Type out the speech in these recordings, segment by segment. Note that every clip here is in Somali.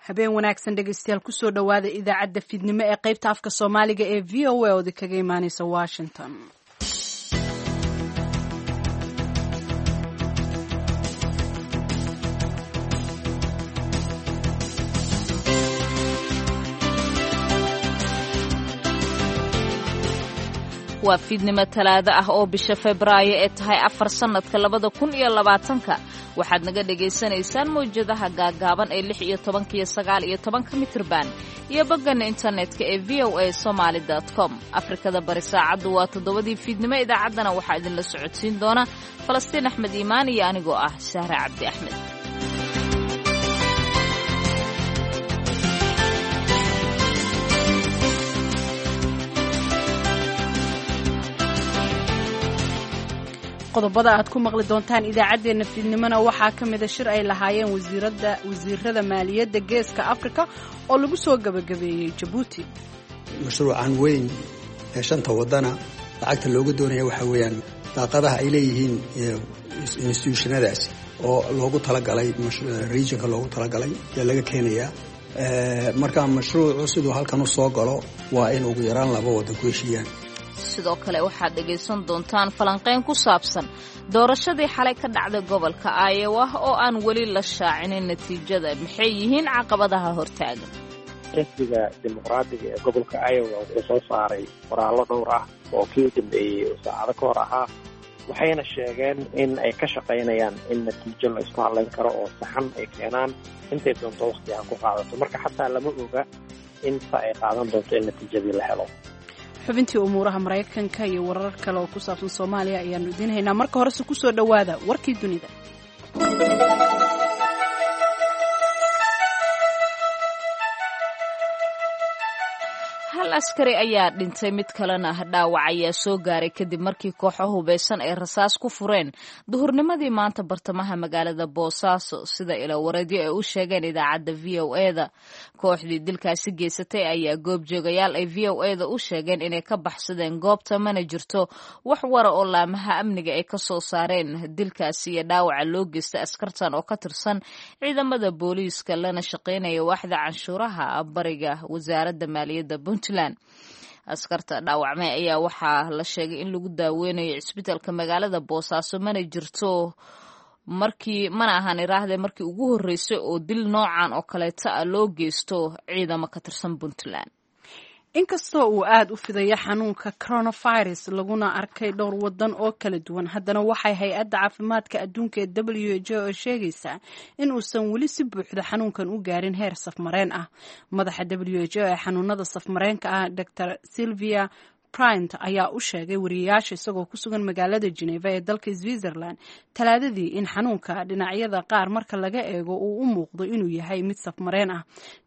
Habeen wanaagsan dhegeystayaal, kusoo dhowaada idaacadda fiidnimo ee qaybta afka Soomaaliga ee VOA oodi kaga imaaneysa Washington. Waa fiidnimo Talaado ah oo bisha Febraayo ee tahay 4 sannadka 2020-ka. Waxaad naga dhagaysanaysaan mawjadaha gaagaaban ee 16-ka iyo 19-ka mitrban iyo boggana internetka ee VOA Somaali com. Afrikada Bari saacaddu waa 7-dii fiidnimo. Idaacaddana waxaa idinla socodsiin doona Falastiin Axmed Iimaan iyo anigoo ah Sahre Cabdi Axmed. Qodobada aad ku maqli doontaan idaacaddeenna fiidnimona waxaa ka mida shir ay lahaayeen wasiirada maaliyadda Geeska Afrika oo lagu soo gebagabeeyey Jabuuti. Mashruucan weyn ee shanta waddana lacagta looga doonaya waxaa weeyaan daaqadaha ay leeyihiin instituushanadaasi oo loogu talagalay regionka loogu talagalay ayaa laga keenayaa. Marka mashruucu siduu halkan u soo galo waa in ugu yaraan laba waddan ku heshiiyaan. Sidoo kale waxaad dhegaysan doontaan falanqayn ku saabsan doorashadii xalay ka dhacday gobolka Iowa oo aan weli la shaacinin natiijada. Maxay yihiin caqabadaha hortaagan? Xisbiga Dimuqraadiga ee gobolka Iowa wuxuu soo saaray qoraallo dhowr ah oo kii u dambeeyey oo saacado ka hor ahaa, waxayna sheegeen in ay ka shaqaynayaan in natiijo la isku hadlayn karo oo saxan ay keenaan, intay doonto wakhti ha ku qaadato. Marka xataa lama oga inta ay qaadan doonto in natiijadii la helo. Xubintii umuuraha Maraykanka iyo warar kale oo ku saabsan Soomaaliya ayaanu idiin haynaa. Marka horese kusoo dhowaada warkii dunida. Hal askari ayaa dhintay, mid kalena dhaawac ayaa soo gaaray kadib markii kooxo hubeysan ay rasaas ku fureen duhurnimadii maanta bartamaha magaalada Boosaaso, sida ilawareedyo ay u sheegeen idaacadda VOA-da. Kooxdii dilkaasi geysatay ayaa goobjoogayaal ay VOA-da u sheegeen inay ka baxsadeen goobta. Mana jirto wax wara oo laamaha amniga ay ka soo saareen dilkaasi iyo dhaawaca loo geystay askartan oo ka tirsan ciidamada booliiska lana shaqaynaya waaxda canshuuraha bariga wasaaradda maaliyadda Puntland. Askarta dhaawacmay ayaa waxaa la sheegay in lagu daaweynayo cisbitaalka magaalada Boosaaso. Mana jirto markii mana ahan iraahde markii ugu horreysay oo dil noocan oo kaleeta ah loo geysto ciidamo ka tirsan Puntland. Inkastoo uu aada u fidaya xanuunka coronavirus laguna arkay dhowr wadan oo kala duwan, haddana waxay hay-adda caafimaadka adduunka ee WHO oo sheegaysaa in uusan weli si buuxda xanuunkan u gaarin heer safmareen ah. Madaxa WHO ee xanuunada safmareenka ah, Dr Sylvia Bryant, ayaa u sheegay wariyayaasha isagoo ku sugan magaalada Geneva ee dalka Switzerland Talaadadii in xanuunka dhinacyada qaar marka laga eego uu u muuqdo inuu yahay mid safmareen ah.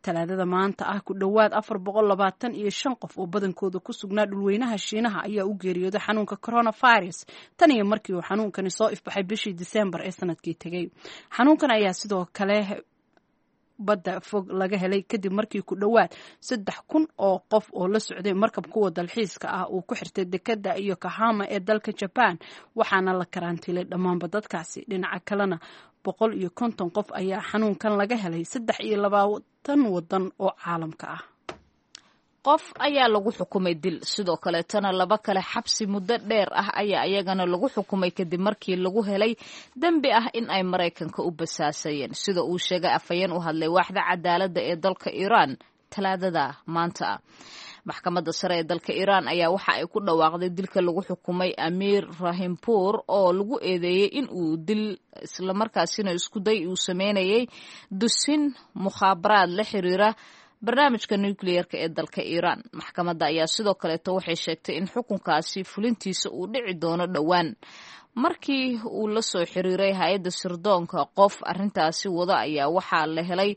Talaadada maanta ah, ku dhowaad 425 qof oo badankooda ku sugnaa dhulweynaha Shiinaha ayaa u geeriyooday xanuunka coronavirus tan iyo markii uu xanuunkani soo ifbaxay bishii Disembar ee sanadkii tegey. Xanuunkan ayaa sidoo kale badda fog laga helay kadib markii ku dhowaad 3000 oo qof oo la socday markab kuwa dalxiiska ah uu ku xirtay dekadda iyo Yokohama ee dalka Jaban, waxaana la karantiilay dhammaanba dadkaasi. Dhinaca kalena, 150 qof ayaa xanuunkan laga helay 23 wadan oo caalamka ah. Qof ayaa lagu xukumay dil, sidoo kaleetana laba kale xabsi muddo dheer ah ayaa iyagana lagu xukumay kadib markii lagu helay dembi ah in ay Maraykanka u basaasayeen, sida uu sheegay afhayeen u hadlay waaxda cadaaladda ee dalka Iiraan Talaadada maanta ah. Maxkamadda sare ee dalka Iiraan ayaa waxa ay ku dhawaaqday dilka lagu xukumay Amiir Rahimpour oo lagu eedeeyey in uu dil islamarkaasina iskuday uu sameynayay dusin mukhaabaraad la xiriira barnaamijka nukliyeerka ee dalka Iiraan. Maxkamadda ayaa sidoo kaleeto waxay sheegtay in xukunkaasi fulintiisa uu dhici doono dhowaan. Markii uu la soo xiriiray hay-adda sirdoonka qof arrintaasi wada ayaa waxaa la helay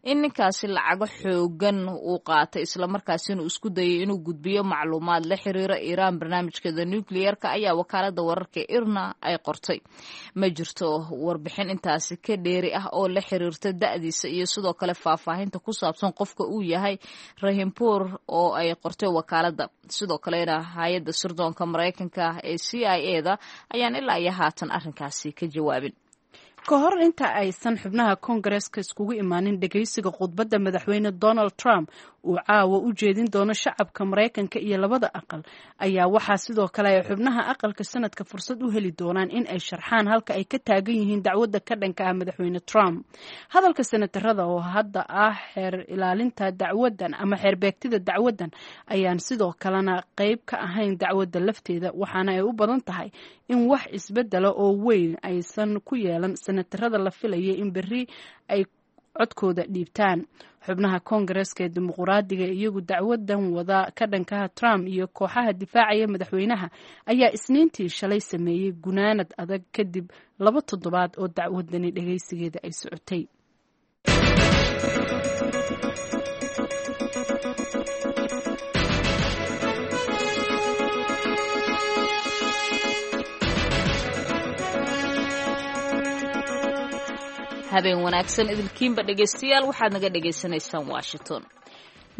in ninkaasi lacago xoogan uu qaatay, islamarkaasina isku dayay inuu gudbiyo macluumaad la xiriira Iiraan barnaamijkeeda nukliyeerka, ayaa wakaaladda wararka IRNA ay qortay. Ma jirto warbixin intaasi ka dheeri ah oo la xiriirta da'diisa iyo sidoo kale faahfaahinta ku saabsan qofka uu yahay Rahimpour oo ay qortay wakaaladda. Sidoo kalena hay-adda sirdoonka Maraykanka ee CIA da ayaan ilaa iyo haatan arrinkaasi ka jawaabin. Ka hor inta aysan xubnaha koongareeska iskugu imaanin dhegeysiga khudbadda madaxweyne Donald Trump uu caawa u jeedin doono shacabka Maraykanka iyo labada aqal, ayaa waxaa sidoo kale ay xubnaha aqalka sanadka fursad u heli doonaan in ay sharxaan halka ay ka taagan yihiin dacwadda ka dhanka ah madaxweyne Trump. Hadalka senatarada oo hadda ah xeer ilaalinta dacwaddan ama xeerbeegtida dacwaddan ayaan sidoo kalena qeyb ka ahayn dacwadda lafteeda, waxaana ay u badan tahay in wax isbedela oo weyn aysan ku yeelan senatarada la filayay in berri ay codkooda dhiibtaan. Xubnaha koongareeska ee dimuquraadiga iyagu dacwadan wada ka dhankaha Trump iyo kooxaha difaacaya madaxweynaha ayaa Isniintii shalay sameeyey gunaanad adag kadib 2 toddobaad oo dacwadani dhageysigeeda ay socotay. Habeen wanaagsan idilkiinba, dhegaystayaal. Waxaad naga dhagaysanaysaan Washington.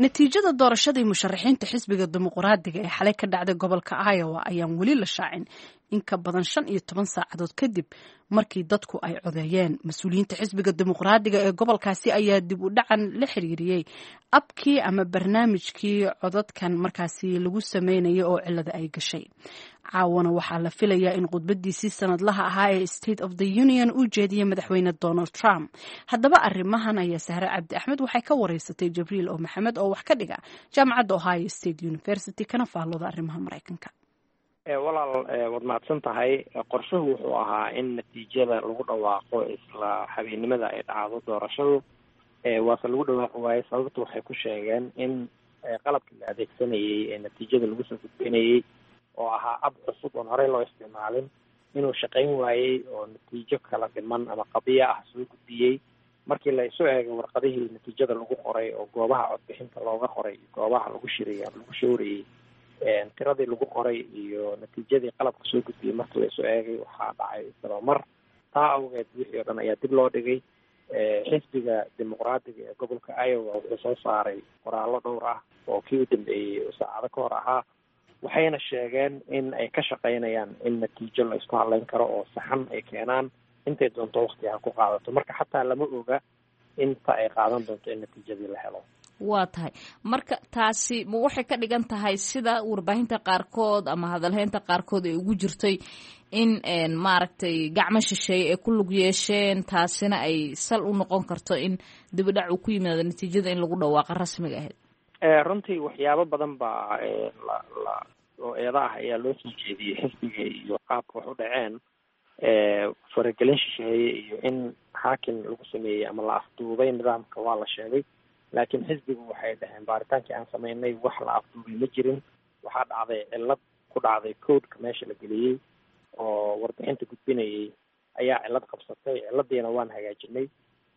Natiijada doorashadii musharaxiinta xisbiga Dimuquraadiga ee xalay ka dhacday gobolka Iowa ayaan weli la shaacin, in ka badan 15 saacadood kadib markii dadku ay codeeyeen. Mas-uuliyiinta xisbiga Dimuqraadiga ee gobolkaasi ayaa dib u dhacan la xiriiriyey abkii ama barnaamijkii codadkan markaasi lagu sameynayay oo cilada ay gashay. Caawana waxaa la filayaa in khudbadiisii sanadlaha ahaa ee State of the Union uu jeediyey madaxweyne Donald Trump. Haddaba arrimahan ayaa Sahre Cabdi Axmed waxay ka wareysatay Jibriil O Maxamed oo wax ka dhiga jaamacadda Ohio State University, kana faallooda arrimaha Maraykanka. Walaal, waad mahadsan tahay. Qorshuhu wuxuu ahaa in natiijada lagu dhawaaqo isla habeennimada ay dhacdo doorashadu, waase lagu dhawaaqi waayey. Sababta waxay ku sheegeen in qalabkii la adeegsanayey ee natiijada lagu soo gudbinayey, oo ahaa ab cusub oon horey loo isticmaalin, inuu shaqayn waayey oo natiijo kala dhiman ama qadiyo ah soo gudbiyey. Markii la isu eegay warqadihii natiijada lagu qoray oo goobaha codbixinta looga qoray iyo goobaha lagu shirayay ama lagu showrayey, tiradii lagu qoray iyo natiijadii qalabka soo gudbiyey markii la isu eegay, waxaa dhacay isdabamar. Taa awgeed wixii oo dhan ayaa dib loo dhigay. Xisbiga Dimuqraadiga ee gobolka Iowa wuxuu soo saaray qoraallo dhowr ah oo kii u dambeeyey oo saacado ka hor ahaa, waxayna sheegeen in ay ka shaqaynayaan in natiijo la isku hadleyn karo oo saxan ay keenaan, intay doonto waqti ha ku qaadato. Marka xataa lama oga inta ay qaadan doonto in natiijadii la helo. Waa tahay. Marka taasi ma waxay ka dhigan tahay, sida warbaahinta qaarkood ama hadalheynta qaarkood ay ugu jirtay, in maaragtay gacmo shisheeye ay ku lug yeesheen, taasina ay sal u noqon karto in dibidhac uu ku yimaado natiijada in lagu dhawaaqa rasmiga ahayd? Runtii waxyaabo badan baa la la oo eeda ah ayaa loo soo jeediyey xisbiga iyo qaabka wax u dhaceen. Faragelin shisheeye iyo in hacking lagu sameeyey ama la afduubay nidaamka waa la sheegay, laakiin xisbigu waxay dhaheen baaritaankii aan sameynay wax la afduubay ma jirin. Waxaa dhacday cillad ku dhacday codeka meesha la geliyey oo warbixinta gudbinayay ayaa cillad qabsatay, cilladiina waan hagaajinay.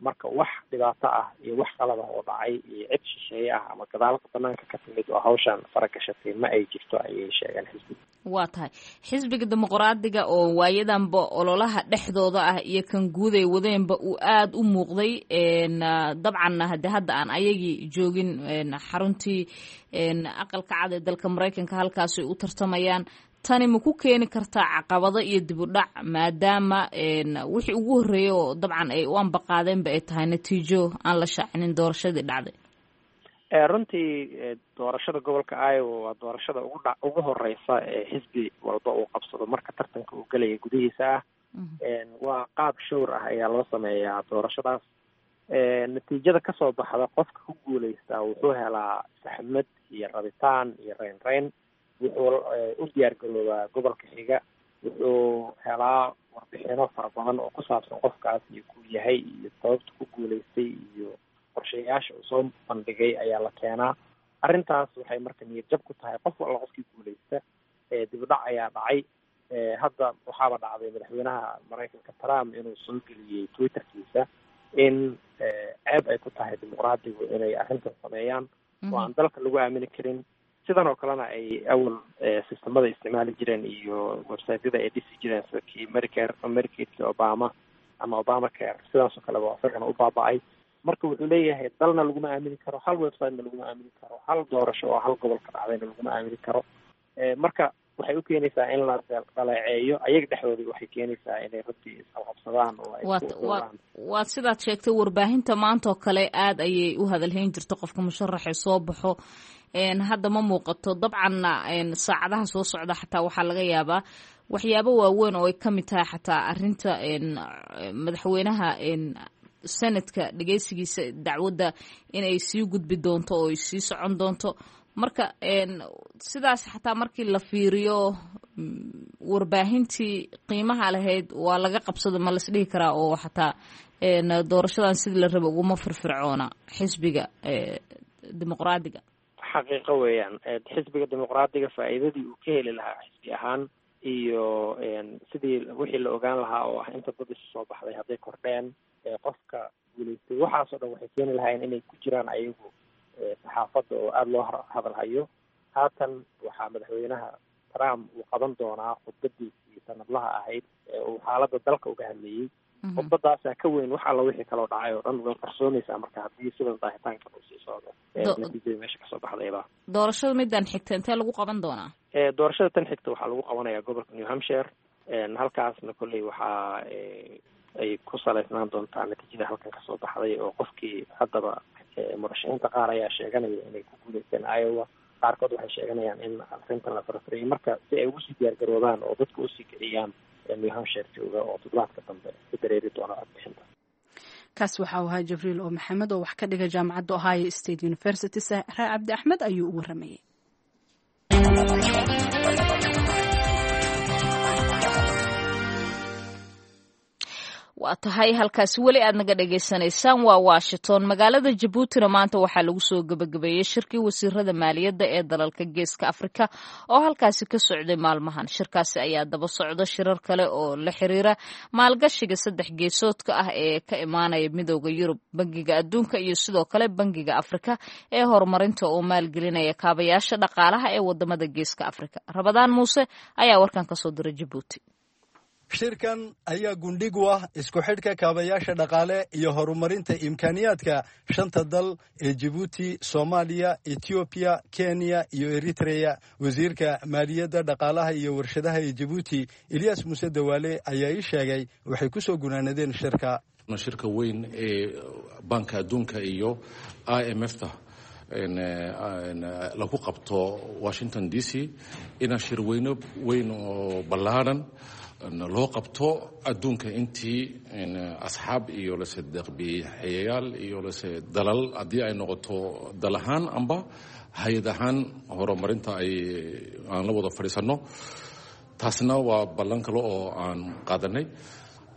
Marka wax dhibaato ah iyo wax qalad ah oo dhacay iyo cid shisheeye ah ama gadaalka banaanka ka timid oo hawshan faragashatay ma ay jirto, ayay sheegeen xisbiga. Waa tahay. Xisbiga Dimuqraadiga oo waayadanba ololaha dhexdooda ah iyo kan guud ay wadeenba uu aada u muuqday, dabcanna hade hadda aan ayagii joogin xaruntii Aqalka Cad ee dalka Maraykanka halkaas ay u tartamayaan, tani ma ku keeni kartaa caqabado iyo dib u dhac, maadaama wixii ugu horreeyay oo dabcan ay u ambaqaadeenba ay tahay natiijo aan la shaacinin doorashadii dhacday? Runtii doorashada gobolka Iowa waa doorashada ugu dha ugu horeysa ee xisbi walba uu qabsado marka tartanka uu gelaya gudihiisa ah. Waa qaab showr ah ayaa loo sameeyaa doorashadaas. Natiijada kasoo baxda, qofka ku guuleystaa wuxuu helaa saxmad iyo rabitaan iyo reyn reyn, wuxuu u diyaar garoobaa gobolka xiga, wuxuu helaa warbixino fara badan oo ku saabsan qofkaas iyo kuu yahay iyo sababta ku guuleystay iyo qorshayaasha uu soo bandhigay ayaa la keenaa. Arrintaas waxay marka niyad jab ku tahay qof alla qofkii guuleysta. Dibudhac ayaa dhacay. Hadda waxaaba dhacday madaxweynaha Maraykanka Trump inuu soo geliyey Twitterkiisa in ceeb ay ku tahay Dimuqraadigu inay arrintan sameeyaan oo aan dalka lagu aamini karin, sidan oo kalena ay awal sistamada isticmaali jireen iyo websiteyada ay dhisi jireen, sida kii Medicare, Medicaidkii Obama ama Obamacare, sidaas oo kaleba isagana u baaba-ay. Marka wuxuu leeyahay dalna laguma aamini karo, hal websitena laguma aamini karo, hal doorasho oo hal gobol ka dhacdayna laguma aamini karo. Marka Waxay u keenaysaa in la dhaleeceeyo ayaga dhexdooda, waxay keenaysaa inay runtii isqabqabsadaan oo ay Waad sidaad sheegtay, warbaahinta maanta oo kale aada ayay u hadalhayn jirto qofka musharaxee soo baxo. Hadda ma muuqato. Dabcanna saacadaha soo socda xataa waxaa laga yaabaa waxyaabo waaweyn oo ay ka mid tahay xataa arrinta madaxweynaha senadka dhegeysigiisa dacwadda inay sii gudbi doonto oo ay sii socon doonto. Marka sidaas xataa markii la fiiriyo, warbaahintii qiimaha lahayd waa laga qabsada, ma las dhihi karaa, oo xataa doorashadan sidii la raba uguma firfircoona xisbiga Dimuqraadiga? Xaqiiqo weeyaan, xisbiga Dimuqraadiga faa'iidadii uu ka heli lahaa xisbi ahaan iyo sidii wixii la ogaan lahaa oo ah inta dad isu soo baxday, hadday kordheen, qofka guulaystay, waxaasoo dhan waxay keeni lahaayeen inay ku jiraan ayagu saxaafadda oo aada loo hadalhayo. Haatan waxaa madaxweynaha Trump uu qaban doonaa khudbadiisii sanadlaha ahayd ee uu xaaladda dalka uga hadlayey. Khudbadaasaa ka weyn wax alla wixii kaloo dhacay oo dhan, way qarsoonaysaa marka haddii sidan daahitaankan uu sii socdo natiijada meesha kasoo baxdayba. Doorashada midaan xigta intee lagu qaban doonaa? Doorashada tan xigta waxaa lagu qabanayaa gobolka New Hampshire. Halkaasna kolley waxaa ay ku salaysnaan doontaa natiijada halkan kasoo baxday, oo qofkii haddaba murashaxiinta qaar ayaa sheeganaya inay ku guuleysteen Iowa, qaarkood waxay sheeganayaan in arrintan la farfariyay. Marka si ay ugu sii diyaargaroobaan oo dadka usii kiciyaan New Hampshire jooga oo toddobaadka dambe ku dareeri doona codbixinta. Kaas waxa uu ahaa Jibriil oo Maxamed oo wax ka dhiga jaamacadda Ohio State University. Sahra Cabdi Axmed ayuu u waramayay. Waa tahay, halkaasi weli aad naga dhagaysanaysaan waa Washington. Magaalada Jabuutina maanta waxaa lagu soo gebagabeeyey shirkii wasiirada maaliyadda ee dalalka Geeska Afrika oo halkaasi ka socday maalmahan. Shirkaasi ayaa daba socda shirar kale oo la xiriira maalgashiga saddex geesoodka ah ee ka imaanaya Midooda Yurub, Bangiga Adduunka iyo sidoo kale Bangiga Afrika ee horumarinta oo maalgelinaya kaabayaasha dhaqaalaha ee wadamada Geeska Afrika. Rabadaan Muuse ayaa warkan kasoo diray Jabuuti. Shirkan ayaa gundhig u ah isku xidhka kaabayaasha dhaqaale iyo horumarinta imkaaniyaadka shanta dal ee Jibuuti, Soomaaliya, Etoobiya, Kenya iyo Eritreya. Wasiirka maaliyadda, dhaqaalaha iyo warshadaha ee Jibuuti, Eliyas Muuse Dawaale, ayaa ii sheegay waxay ku soo gunaanadeen shirka. Shirka weyn ee Banka Adduunka iyo IMF ta lagu qabto Washington DC, inaa shirweyno weyn oo ballaadhan loo qabto adduunka intii asxaab iyo lase deeqbixiyayaal iyo lase dalal, haddii ay noqoto dal ahaan amba hay-ad ahaan horumarinta ay aan la wada fadhiisanno. Taasna waa ballan kale oo aan qaadanay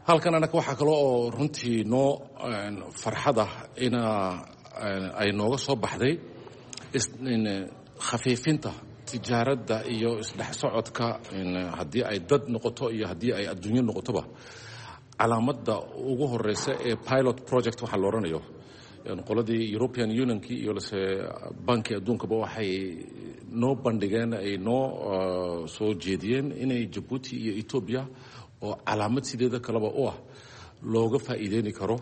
halkan. Anaka waxaa kale oo runtii noo farxad ah ina ay nooga soo baxday khafiifinta tijaaradda iyo isdhex socodka, haddii ay dad noqoto iyo haddii ay adduunyo noqotoba. Calaamadda ugu horeysa ee pilot project waxaa la odhanayo, qoladii European Unionkii iyo lase banki adduunkaba waxay noo bandhigeen, ay noo soo jeediyeen inay Jabuuti iyo Etoobiya oo calaamad sideeda kaleba u ah looga faa'iideyni karo.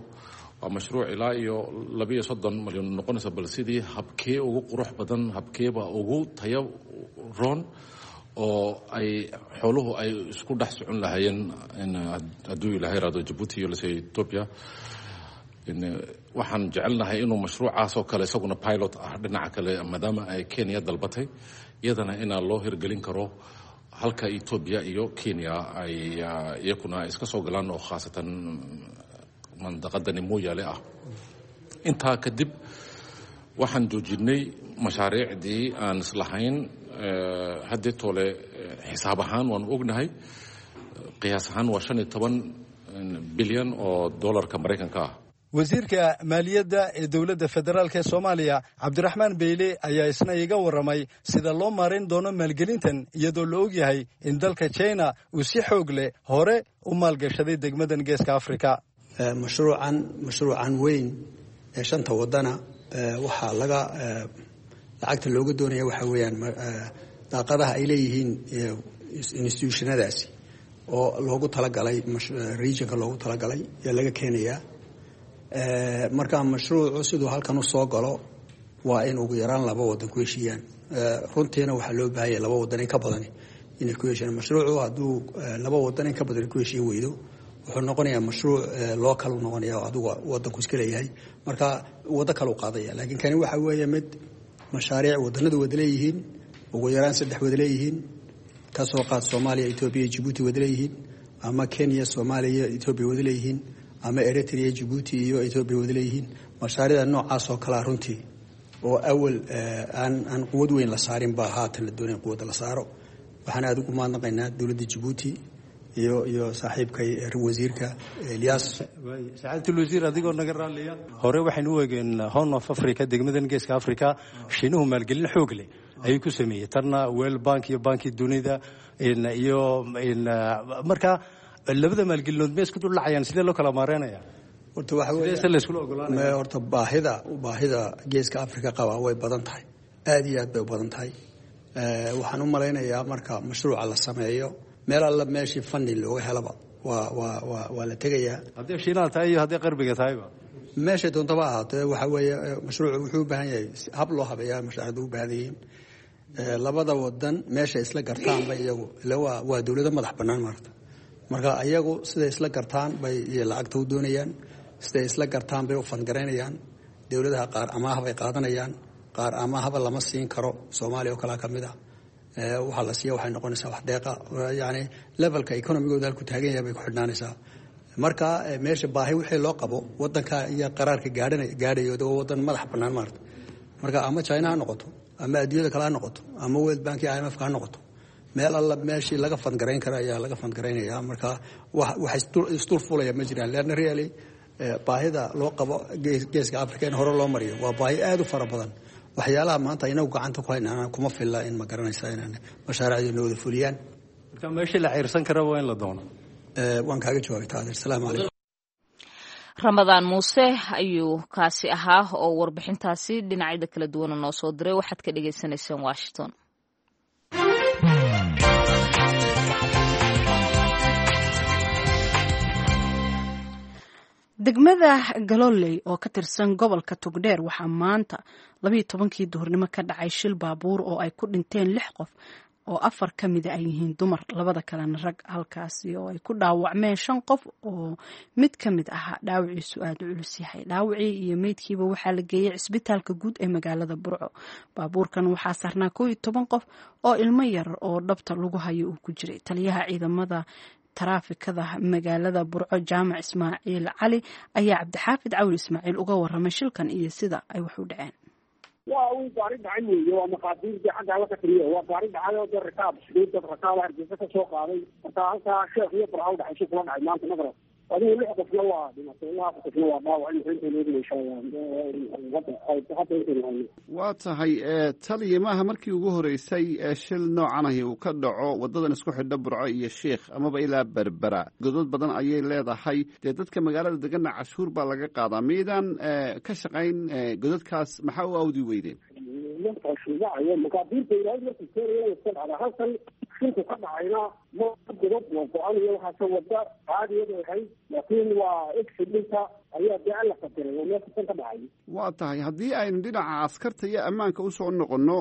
Waa mashruuc ilaa iyo 32 malyan noqonaysa, bal sidii habkee ugu qurux badan, habkeeba ugu tayo roon oo ay xooluhu ay isku dhex socon lahaayeen hadduu Ilaahay raado Jabuuti iyo lase Etoobiya. Waxaan jecelnahay inuu mashruucaas oo kale isaguna pilot ah dhinaca kale, maadaama ay Kenya dalbatay iyadana, inaa loo hirgelin karo halka Etoobiya iyo Kenya ay iyakuna iska soo galaan, oo khaasatan mandaqadani Mooyaale ah. Intaa kadib waxaan joojinay mashaariicdii aan islahayn haddii toole. Xisaab ahaan waanu ognahay, qiyaas ahaan waa 15 bilyan oo dollarka Maraykanka ah. Wasiirka maaliyadda ee dowladda federaalk ee Soomaaliya, Cabdiraxmaan Beyle, ayaa isna iga warramay sida loo maarayn doono maalgelintan, iyadoo la ogyahay in dalka China uu si xoog leh hore u maalgashaday degmadan Geeska Afrika. Mashruucan weyn ee shanta wadana waxaa laga lacagta looga doonaya waxaa weeyaan daaqadaha ay leeyihiin institutionadaasi oo loogu talagalay regionka loogu talagalay ayaa laga keenayaa. Marka mashruucu siduu halkan usoo galo waa in ugu yaraan laba wadan ku heshiiyaan. Runtiina waxaa loo baahanya laba wadan in ka badani Inay ku heshiiyaan mashruucu, hadduu laba wadan in ka badan ku heshiin weydo, wuxuu noqonayaa mashruuc loo kalu noqonaya oo adigu wadanku iska leeyahay, marka waddo kale u qaadaya. Laakiin kani waxa weeye mid mashaariic wadanadu wada leeyihiin, ugu yaraan saddex wada leeyihiin. Kasoo qaad Soomaaliya, Etoobiya, Jibuuti wada leeyihiin, ama Kenya, Soomaaliya, Etoobiya wada leeyihiin, ama Eritrea, Jibuuti iyo Etoobiya wada leeyihiin. Mashaariicda noocaas oo kalea runtii oo awal aan quwad weyn la saarin baa haatan la doonaya quwadda la saaro. Waxaan aada ugu mahadnaqaynaa dowladda Jabuuti iyo saaxiibkay wasiirka Elyaas. Sacaadatul wasiir, adigoo naga raalliya, hore waxaynu u eegeen Horn of Africa, degmadan Geeska Africa, Shiinuhu maalgelin xoog leh ayuu ku sameeyey, tanna World Bank iyo bankii dunida iyo. Marka labada maalgelinood ma isku duldhacayaan? Sidee loo kala maareynaya? Horta waxa Sidee la iskula ogolaanaya? Horta baahida Geeska Africa qaba way badan tahay, aada iyo aad bay u badan tahay. Waxaan u malaynayaa marka mashruuca la sameeyo, meel alla meeshii funding looga helaba waa la tegayaa. Haddii Shiinaha tahay iyo haddii qarbiga tahayba. Meeshay doontaba ahaatee, waxa weeye mashruucu wuxuu u baahan yahay hab loo habeeyaa. Mashaariicdu u baahan yihiin labada wadan meeshay isla gartaanba iyagu, ila waa dowlado madax bannaan maarata. Marka iyagu siday isla gartaan bay lacagta u doonayaan, siday isla gartaan bay u fandgaraynayaan. Dowladaha qaar amaah bay qaadanayaan, qaar amaahaba lama siin karo. Soomaaliya oo kalea ka mid ah, waxaa la siiya waxay noqonaysaa wax deeqa, yani levelka economigooda halku taagan yahay bay ku xidhnaanaysaa. Marka meesha baahi wixii loo qabo wadanka iyo qaraarka gaadhayo, waa wadan madax bannaan maarata. Marka ama China ha noqoto, ama adduunyada kale ha noqoto, ama World Bank iyo IMF ha noqoto, meel alla meeshii laga fandgarayn kara ayaa laga fandgaraynaya. Marka wax isdul fulaya ma jiraan, leanna really baahida loo qabo Geeska Africa in hore loo mariyo waa baahi aada u fara badan. Waxyaalaha maanta inagu gacanta ku haynana kuma filla in, ma garanaysa, inaan mashaariicda noo wada fuliyaan. Marka meeshii la ciirsan kara waa in la doono. Waan kaaga jawaabay taadeer. Salaamu calaykum. Ramadaan Muuse ayuu kaasi ahaa oo warbixintaasi dhinacyada kala duwana noo soo diray. Waxaad ka dhagaysanayseen Washington. Degmada Galoley oo ka tirsan gobolka Togdheer waxaa maanta 12-kii duhurnimo ka dhacay shil baabuur oo ay ku dhinteen lix qof, oo afar ka mida ay yihiin dumar, labada kalena rag, halkaasi oo ay ku dhaawacmeen shan qof oo mid ka mid ahaa dhaawaciisu aada u culus yahay. Dhaawacii iyo meydkiiba waxaa la geeyey cisbitaalka guud ee magaalada Burco. Baabuurkan waxaa saarnaa 11 qof oo ilmo yar oo dhabta lagu hayo uu ku jiray. Taliyaha ciidamada taraafikada magaalada Burco, Jaamac Ismaaciil Cali, ayaa Cabdixaafid Cawli Ismaaciil uga waramay shilkan iyo sida ay wax u dhaceen. Waa uu gaari dhacay weeye, waa maqaadiirtii xagga alla ka tiriyo. Waa gaari dhacay oo dad rakaab sideed dad rakaab Hargeysa ka soo qaaday. Marka halkaa Sheekh iyo Burca u dhaxayso kula dhacay maanta maqrab. Adigu lix qofna waa dhimatay, ilaa afar qofna waa dhaawac. Intaynu hadda intaynu hayno. Waa tahay taliya, maaha markii ugu horeysay ee shil noocan ahi uu ka dhaco waddadan isku xidho Burco iyo Sheikh amaba ilaa Berbera. Godod badan ayay leedahay, dee dadka magaalada deganna cashuur baa laga qaadaa. Miydaan ka shaqayn godadkaas? Maxaa u awdi weydeen? Shuubacayo maqaadiirta Ilaahay markuu keenayo iska dhacda. Halkan shilku ka dhacayna ma godad waa go-an iyo waxaase, wadda caadiyadu ahayd, laakiin waa accidentka ayaa dee Alla qadaray oo meesha kan ka dhacay. Waa tahay, haddii aynu dhinaca askarta iyo ammaanka usoo noqonno,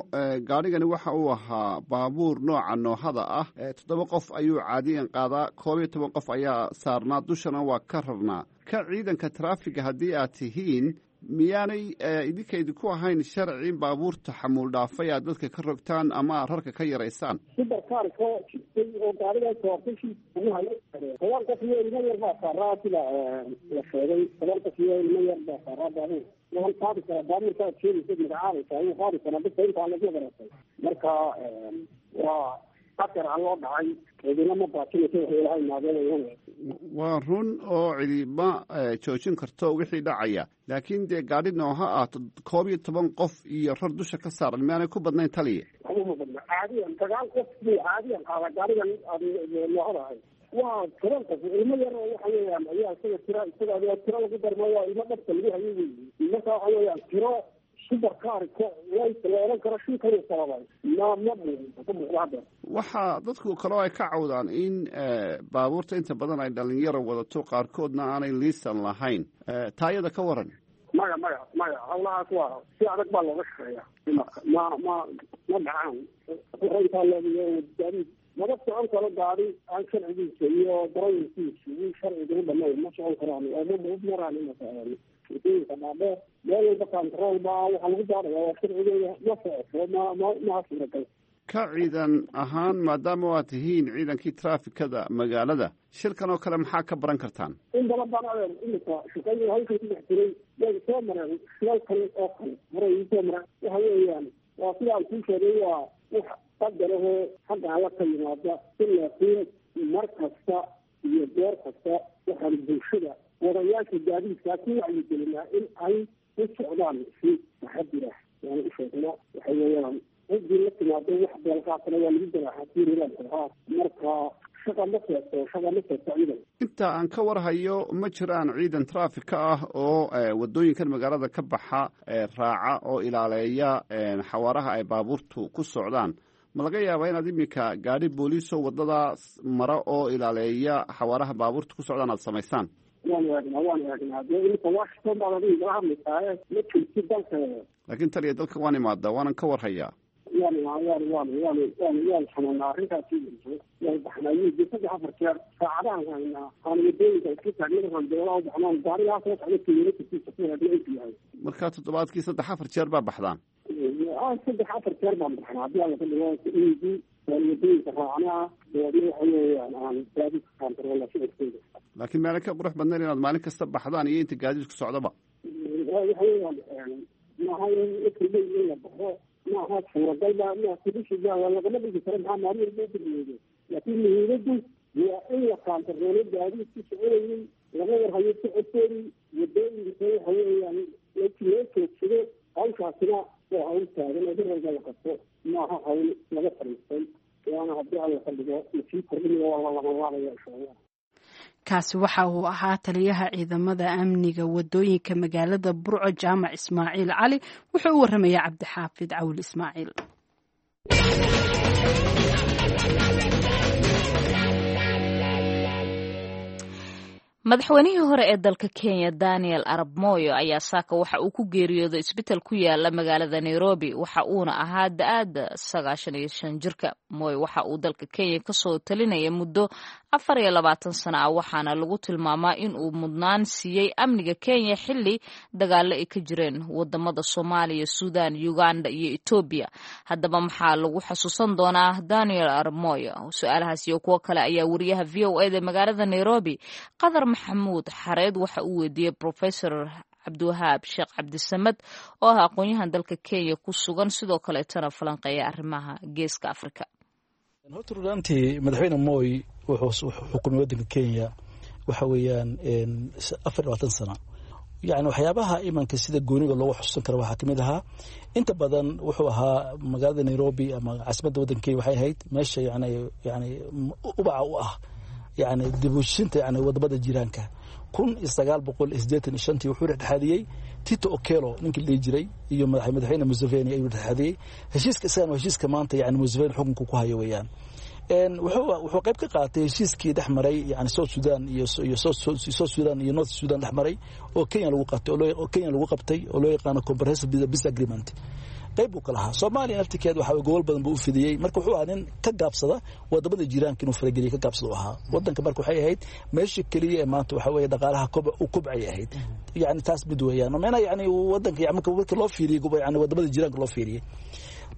gaadhigani waxa uu ahaa baabuur nooca noohada ah. Toddoba qof ayuu caadiyan qaadaa, 11 qof ayaa saarnaa, dushana waa ka rarnaa. Ka ciidanka taraafiga haddii aad tihiin, miyaanay idinka idinku ahayn sharci in baabuurta xamuul dhaafay aad dadka ka rogtaan ama aad rarka ka yaraysaan? Subarkaar soo jitay oo gaarigaa soortay shil ugu hayo. 10 qof iyo ilmo yar baa saaraa, sida la sheegay. 10 qof iyo ilmo yar baa saaraa baabuur. Waan qaadi karaa baabuurka aad sheegaysa, magacaabaysa ayuu qaadi karaa dadka intaa lagu garatay. Marka waa qadar alloo dhacay, cidina ma baajinayso waxay Ilahay maadeelayana. Waa run oo cidi ma joojin karto wixii dhacaya, laakiin dee gaadhi nooha ah 11 qof iyo rar dusha ka saaran miyaanay ku badnayn, taliya? Uma badna, caadiyan sagaal qof buu caadiyan qaadaa gaarigan noohada ahay. Waa 10 qof, ilmo yar oo waxa weeyaan ayaa isaga tira, isaga tiro lagu darma, waa ilmo dhabta lagu hayo weyi. Marka waxa weeyaan tiro subarkaarka la oran karo shilkan sababay ma ka muuqda hadda. Waxaa dadku kaloo ay ka cawdaan in baabuurta inta badan ay dhalinyaro wadato, qaarkoodna aanay liisan lahayn. Taayada ka waran? Maya, maya, maya, hawlahaas waa si adag baa looga shaqeeya. Ma dhacaan intaa leegayo gaadiid. Maba socon karo gaari aan sharcigiisa iyo darawalkiisa uu sharciga u dhamayn, ma socon karaan oo ma maraan wadooyinka dhaadheer. Meel walba control baa waxaa lagu baaraya, waa sharcigeeda, ma socoto, maha suuragal. Ka ciidan ahaan, maadaama waa tihiin ciidankii traafikada magaalada, shilkan oo kale maxaa ka baran kartaan? In badan baan adeer imika shaqayn hawshan ku dhex jiray, way soo mareen shilalkan oo kale, horay soo mareen. Waxa weeyaan waa sida aan kuu sheegay, waa wax qadarahoo xagga alla ka yimaada. Laakiin mar kasta iyo goor kasta waxaan bulshada wadayaasha gaadiidkaa ku wacyigelinaa in ay u socdaan si taxadir ah. Waana u sheegnaa, waxa weeyaan ciddii la timaado wax beelqaatana waa lagu ganaaxaa siirilaankaa. Marka shaqa ma seegto, shaqa ma seegto ciidan. Inta aan ka warhayo ma jiraan ciidan traafika ah oo wadooyinkan magaalada ka baxa raaca oo ilaaleeya xawaaraha ay baabuurtu ku socdaan. Ma laga yaabaa inaad iminka gaadhi booliisoo waddadaas mara oo ilaaleeya xawaaraha baabuurta ku socdaan aad samaysaan? Waan eegnaa, waan eegnaa. Dee iminka Washington baad adiga igala hadlaysaaye, ma joogtid dalka. Laakiin taliya, dalka waan imaadaa, waanan ka warhayaa. Waan waan waan waan waan waan xanuunaa arrintaasi. Waan baxnaa muddo 3-4 jeer saacadahan haynaa aan wadooyinka iska taagna, markaan beelaha u baxnaan gaarigaa soo socda kilomitarkiisa ku hagna intuu yahay. Markaa toddobaadkii 3-4 jeer baa baxdaan? 3-4 jeer baan baxnaa haddii alla ka dhigo. Indi waan wadooyinka raacnaa, dabeedna waxa weeyaan aan gaadiidka kaantaroolna socodkooda. Laakiin meelo ka qurux badnayn inaad maalin kasta baxdaan iyo inta gaadiidku socdaba? Waxa weeyaan maaha in everyday in la baxo, maaha suuragal ba ma kudishiga waa lagama dhigi karo, maxaa maalin walba udirmeedo. Laakiin muhiimaddu waa in la kaantaroolo gaadiidku soconayay, laga warhayo socodkoodii wadooyinka, waxa weeyaan loo joogsado. Hawshaasina waa hawl taagan oo daralga la qabto, maaha hawl laga fariistay, waana haddii alla ka dhigo lasii kordhinaya, waa la labanlaabaya insha Allah. Kaasi waxa uu ahaa taliyaha ciidamada amniga wadooyinka magaalada Burco, Jaamac Ismaaciil Cali. Wuxuu u waramayaa Cabdixaafid Cawil Ismaaciil. Madaxweynihii hore ee dalka Kenya Daniel Arab Moyo ayaa saaka waxa uu ku geeriyooday isbital ku yaala magaalada Nairobi, waxa uuna ahaa da-aada 95 jirka. Moyo waxa uu dalka Kenya kasoo talinaya muddo 24 sano ah, waxaana lagu tilmaamaa in uu mudnaan siiyey amniga Kenya xilli dagaalo ay ka jireen wadamada Soomaaliya, Suudan, Uganda iyo Etoobiya. Haddaba maxaa lagu xasuusan doonaa Daniel Arab Moyo? Su-aalahaas iyo kuwo kale ayaa wariyaha VOA da magaalada Nairobi Qadar Maxamuud Xareed waxa uu weydiiyey Professor Cabdiwahaab Sheekh Cabdisamad oo ah aqoon-yahan dalka Kenya ku sugan, sidoo kaleetana falanqeeya arrimaha Geeska Afrika. Horta runaantii madaxweyne Moy wuxuu xukumay waddanka Kenya waxa weeyaan 24 sano. Yani waxyaabaha imanka sida gooniga loogu xusuusan karo waxaa kamid ahaa, inta badan wuxuu ahaa magaalada Nairobi ama caasimadda waddanka Kenya waxay ahayd meesha yani ubaca u ah yani dibushinta yani wadamada jiraanka. 1985-tii wuxuu dhexdhexaadiyey Tito Okello ninkii la dhihi jiray iyo madaxweyne Museveni ayuu dhexdhexaadiyey heshiiska. Isagan heshiiska maanta yani Museveni xukunka ku hayo weeyaan. Wuxuu qayb ka qaatay heshiiskii dhex maray yani South Sudan iyo South Sudan iyo North Sudan dhex maray oo Kenya lagu qabtay, oo Kenya lagu qabtay, oo loo yaqaano Comprehensive Peace Agreement. Qayb buu ka lahaa. Soomaaliya naftirkeed waxa gobol badan buu u fidiyey. Marka wuxuu ahaa nin ka gaabsada wadamada jiiraanka inuu farageliya ka gaabsada u ahaa wadanka. Marka waxay ahayd meesha keliya ee maanta waxa weeye dhaqaalaha u kobcay ahayd, yani taas mid weeyaan micnaha yani wadanka marka loo fiiriyey yani wadamada jiiraanka loo fiiriyey.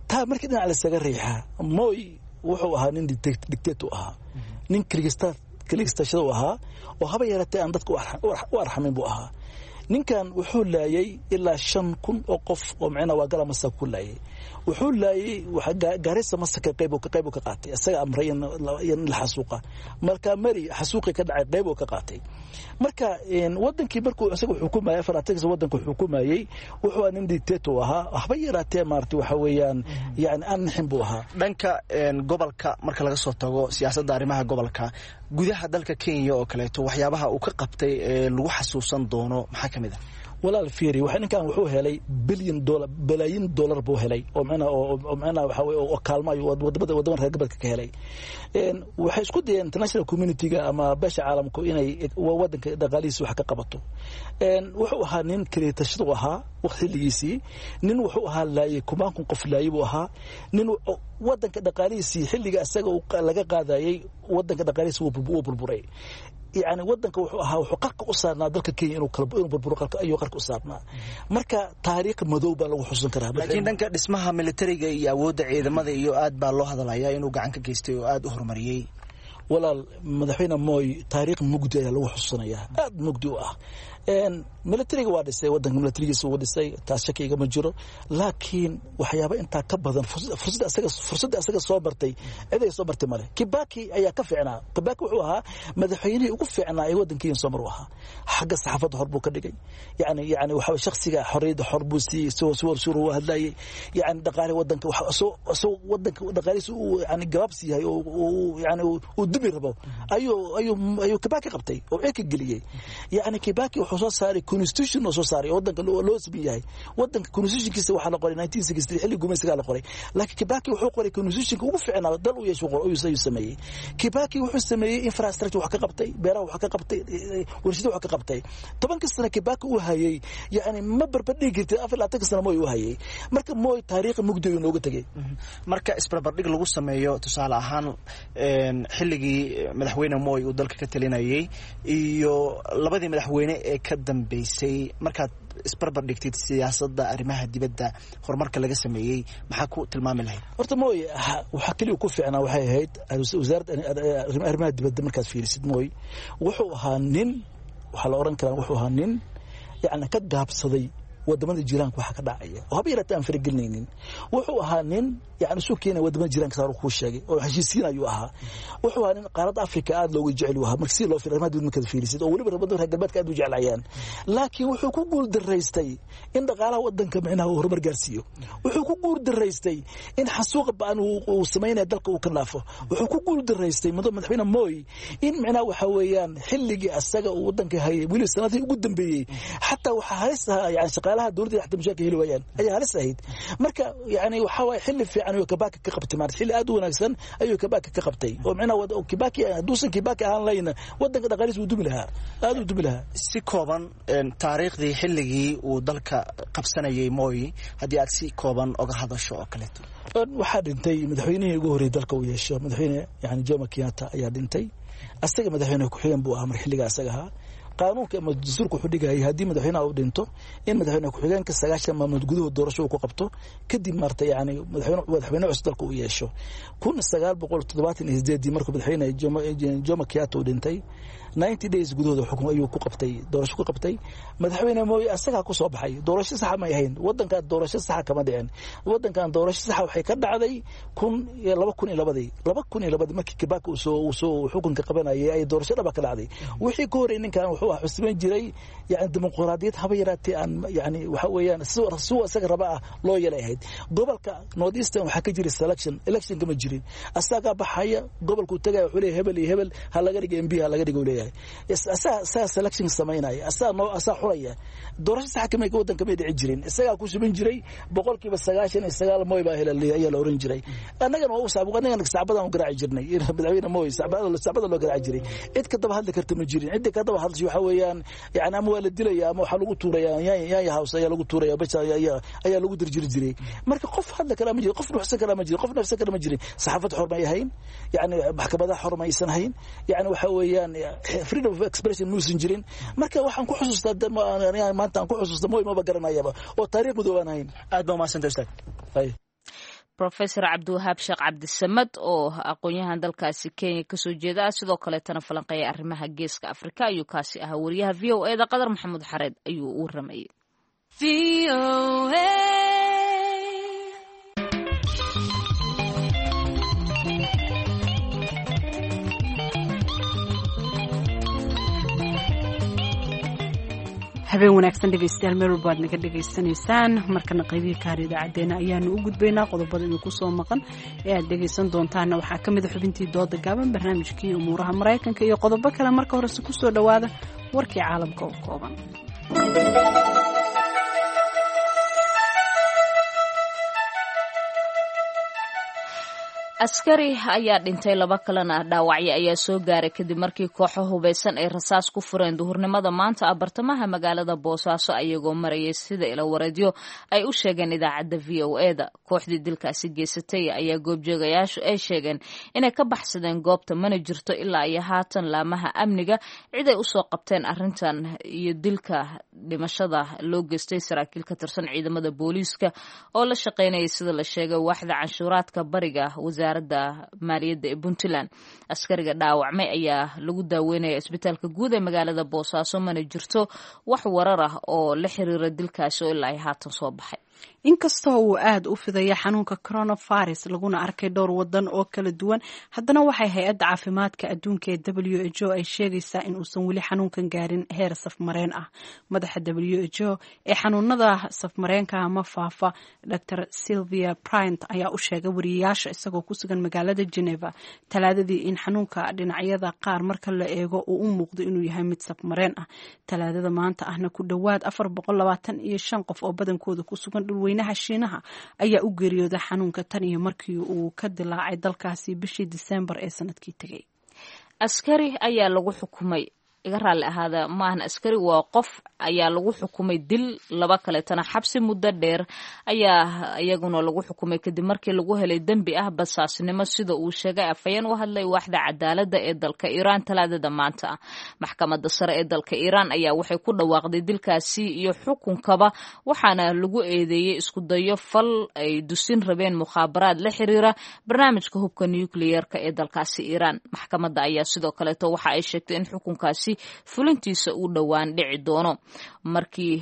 Taa markii dhinac lasaga riixaa, Moy wuxuu ahaa nin dictator u ahaa, nin keligistashada u ahaa oo haba yaratee aan dadka u arxamin buu ahaa. Ninkan wuxuu laayay ilaa 5000 oo qof oo micnaha waa gala masaka ku laayay. Wuxuu laayay Gaarisa masaka qayb qayb ka qaatay, isaga amray in la xasuuqa. Marka mari xasuuqi ka dhacay qayb ka qaatay. Marka wadankii markuu isaga xukumayay 24 wadanka xukumayay, wuxuu ahaa nin dictator ahaa, waxba yaraatee maartay waxa weeyaan yani aan nixin buu ahaa. Dhanka gobolka marka laga soo tago siyaasadda arrimaha gobolka, gudaha dalka Kenya oo kaleeto waxyaabaha uu ka qabtay ee lagu xasuusan doono maxaa ka mid ah? Walaal fiiri, waxa ninkan wuxuu helay bilyan dollar, balaayin dollar buu helay oo macnaha oo macnaha waxa weeye oo kaalmo ayuu wadamada reer galbeedka ka helay. Waxay isku dayeen international community-ga ama beesha caalamku inay wadanka dhaqaalihiisa wax ka qabato. Wuxuu ahaa nin kaleetashadu ahaa xilligiisii, nin wuxuu ahaa laayay kumaankun qof laayay buu ahaa, nin wadanka dhaqaalihiisii xilliga isaga laga qaadayay wadanka dhaqaalihiisa wuu burburay. Yani wadanka wuxuu ahaa wuxuu qarka u saarnaa dalka Kenya inuu burburo ayuu qarka u saarnaa. Marka taariikh madow baa lagu xusun karaa. Laakiin dhanka dhismaha militariga iyo awoodda ciidamada iyo aad baa loo hadalayaa inuu gacan ka geystay oo aad u horumariyey. Walaal, madaxweyne Moy taariikh mugdi ayaa lagu xusuusanayaa, aad mugdi u ah. Militariga waa dhisay wadanka, militarigiisa wuu dhisay, taas shaki igama jiro. Laakiin waxyaaba intaa ka badan fursadda asaga soo martay cid ay soo martay male. Kibaki ayaa ka fiicnaa. Kibaki wuxuu ahaa madaxweynihii ugu fiicnaa ee wadanka soo mar u ahaa. Xagga saxaafadda hor buu ka dhigay, yani waxa shakhsiga xorriyadda xor buu siiyey, suwar uu hadlayay, yani dhaqaale wadanka soo wadanka dhaqaalihiisa uu yani gabaabsi yahay oo yani uu dubi rabo ayuu Kibaki qabtay oo cirka geliyey. Yani Kibaki wuxuu soo saaray constitution oo soo saaray wadanka loo siman yahay. Wadanka constitutionkiisa waxaa la qoray 1963 xilli gumaysigaa la qoray, laakiin Kibaki wuxuu qoray constitutionka ugu fiicnaa dal u yeesho ayuu sameeyey. Kibaki wuxuu sameeyey infrastructure wax ka qabtay, beeraha wax ka qabtay, warshado wax ka qabtay. 10 sano Kibaki uu hayay, yani ma barbardhigi kartid 24 sano Moi uu hayay. Marka Moi taariikh mugdi ayuu nooga tegey. Marka isbarbardhig lagu sameeyo tusaale ahaan xilligii madaxweyne Moi uu dalka ka talinayay iyo labadii madaxweyne ee ka dambeysay, markaad isbarbar dhigtid siyaasadda arrimaha dibadda horumarka laga sameeyey, maxaa ku tilmaami lahayd? Horta Moi waxaa keliya ku fiicnaa waxay ahayd wasaaradda arrimaha dibadda. Markaad fiirisid Moi wuxuu ahaa nin, waxaa la oran karaa wuxuu ahaa nin yani ka gaabsaday wadamada jiraanka waxa ka dhacaya oo haba yaraatee aan faragelinaynin. Wuxuu ahaa nin yani isu keenaya wadamada jiraanka saar kuu sheegay oo heshiisiin ayuu ahaa. Wuxuu ahaa nin qaaradda Afrika aad looga jecel ahaa marka si loo fiiriyo arrimaha dibadda markaad fiirisid, oo weliba wadamada reer galbeedka aad u jeclayaan. Laakiin wuxuu ku guul daraystay in dhaqaalaha wadanka micnaha uu horumar gaarsiiyo. Wuxuu ku guul daraystay in xasuuqa ba'an uu sameynaya dalka uu ka naafo. Wuxuu ku guul daraystay madaxweyne Moi in micnaha waxa weeyaan xilligii asaga uu wadanka hayay weli sanadihii ugu dambeeyey xataa waxaa halis ahaa yani shaqaalaha dowladda xataa mushaarka heli waayaan ayaa halis ahayd. Marka yani waxa waaye xilli fiican ayuu Kibaki ka qabtay, maarta xilli aad u wanaagsan ayuu Kibaki ka qabtay oo micnaha Kibaki hadduusan Kibaki ahaan lahayna wadanka dhaqaalihiisa wuu dumi lahaa, aad u dumi lahaa. Si kooban taariikhdii xilligii uu dalka qabsanayay Moi haddii aad si kooban oga hadasho oo kaleeto. Waxaa dhintay madaxweynihii ugu horreeyay dalka uu yeesho, madaxweyne yani Jomo Kenyatta ayaa dhintay. Asaga madaxweyne ku-xigeen buu ahaa mar xilligaa asaga ahaa. Qaanuunka ama dastuurka wuxuu dhigayay haddii madaxweynaha uu dhinto in madaxweyne ku-xigeenka 90 maalmood gudahood doorasho uu ku qabto, kadib maarta yani madaxweyne cusub dalka uu yeesho. 1978 markuu madaxweyne Jomo Kenyatta uu dhintay 90 days gudahooda xukun ayuu ku qabtay, doorasho ku qabtay. Madaxweyne Moi asagaa ku soo baxay. Doorasho saxa may ahayn wadankan, doorasho saxa kama dhicin wadankan. Doorasho saxa waxay ka dhacday 2002 2002 markii Kibaki uu soo xukunka qabanayay ay doorasho dhaba ka dhacday. Wixii ka horreeyay ninkan wuxuu ah cusban jiray yani dimuqraadiyad haba yaraatee aan yani waxa weeyaan si asaga raba ah loo yeelay ahayd. Gobolka North Eastern waxaa ka jiray selection, election kama jirin. Asagaa baxaya gobolkuu tagaya wuxuu leeyahay hebel iyo hebel ha laga dhigo MP, ha laga dhigo leeyahay. Asaa selection samaynaya, asaa noo asaa xuraya. Doorasho sax kamay wadanka may dhici jirin, isagaa ku suban jiray. 99% Moi baa helay ayaa la oran jiray. Annagana waa u saabuq, annagana sacbadan u garaaci jirnay madaxweyne Moi, sacbada loo garaaci jiray. Cid ka daba hadli karta ma jirin. Cidda ka daba hadashay waxa weeyaan yani ama waa la dilaya ama waxaa lagu tuuraya yaanya house ayaa lagu tuuraya, basha ayaa lagu dirjiri jiray. Marka qof hadli kara ma jirin, qof nuuxsan kara ma jirin, qof nafsan kara ma jirin. Saxaafad xor may ahayn, yani maxkamadaha xor maysan ahayn, yani waxa weeyaan freedom of expression muusan jirin. Marka waxaan ku xusuustaa maanta aan ku xusuusta Moi maba garanayaba oo taariikh madow aan ahayn. Aad baa umahadsantay ustaad. Professor Cabdiwahaab Sheekh Cabdisamad oo aqoon-yahan dalkaasi Kenya kasoo jeeda ah, sidoo kaleetana falanqeeya arrimaha geeska Afrika ayuu kaasi ahaa. Wariyaha VOA da Qadar Maxamuud Xareed ayuu u waramayay. Habeen wanaagsan dhegeystayaal, meel walba aad naga dhegaysanaysaan. Markana qaybihii kaar idaacadeena ayaanu u gudbaynaa. Qodobada idinku soo maqan ee aad dhegaysan doontaana waxaa ka mid a xubintii dooda gaaban, barnaamijkii umuuraha Maraykanka iyo qodobo kale. Marka horese kusoo dhowaada warkii caalamka oo kooban. Askari ayaa dhintay, laba kalena dhaawacyo ayaa soo gaaray kadib markii kooxo hubeysan ay rasaas ku fureen duhurnimada maanta bartamaha magaalada Boosaaso ayagoo marayay, sida ilawareedyo ay u sheegeen idaacadda VOA-da. Kooxdii dilkaasi geysatay ayaa goobjoogayaashu ay sheegeen inay ka baxsadeen goobta, mana jirto ilaa iyo haatan laamaha amniga cid ay usoo qabteen arrintan iyo dilka dhimashada loo geystay saraakiil ka tirsan ciidamada booliiska oo la shaqeynayay, sida la sheegay, waaxda canshuuraadka bariga wasaaradda maaliyadda ee Puntland. Askariga dhaawacmay ayaa lagu daaweynaya isbitaalka guud ee magaalada Boosaaso, mana jirto wax warar ah oo la xiriira dilkaasi oo ilaa ay haatan soo baxay. Inkastoo uu aada u fidaya xanuunka coronavirus laguna arkay dhowr wadan oo kala duwan, haddana waxay hay-adda caafimaadka adduunka ee WHO ay sheegaysaa in uusan weli xanuunkan gaarin heer safmareen ah. Madaxa WHO ee xanuunada safmareenka ama faafa, Dr Sylvia Bryant, ayaa u sheegay wariyayaasha isagoo ku sugan magaalada Geneva Talaadadii in xanuunka dhinacyada qaar marka la eego uu u muuqdo inuu yahay mid safmareen ah. Talaadada maanta ahna ku dhowaad 425 qof oo badankooda ku sugan dhulweynaha Shiinaha ayaa u geeriyooday xanuunka tan iyo markii uu ka dilaacay dalkaasi bishii Disembar ee sanadkii tegay. Askari ayaa lagu xukumay, iga raalli ahaada, maahan askari, waa qof ayaa lagu xukumay dil, laba kaleetana xabsi muddo dheer ayaa iyaguna lagu xukumay kadib markii lagu helay dembi ah basaasnimo, sida uu sheegay afhayeen u hadlay waaxda cadaaladda ee dalka Iiraan Talaadada maanta ah. Maxkamadda sare ee dalka Iiraan ayaa waxay ku dhawaaqday dilkaasi iyo xukunkaba, waxaana lagu eedeeyey isku dayo fal ay dusin rabeen mukhaabaraad la xiriira barnaamijka hubka nukliyeerka ee dalkaasi Iiraan. Maxkamadda ayaa sidoo kaleeto waxa ay sheegtay in xukunkaasi fulintiisa uu dhowaan dhici doono markii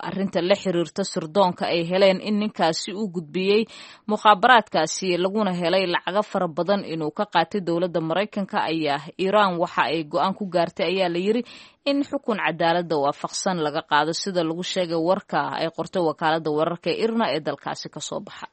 arinta la xiriirta sirdoonka ay heleen in ninkaasi uu gudbiyey mukhaabaraadkaasi, laguna helay lacago fara badan inuu ka qaatay dowladda Maraykanka. Ayaa Iiraan waxa ay go-aan ku gaartay, ayaa la yiri, in xukun cadaaladda waafaqsan laga qaado, sida lagu sheegay warka ay qortay wakaaladda wararka ee IRNA ee dalkaasi kasoo baxa.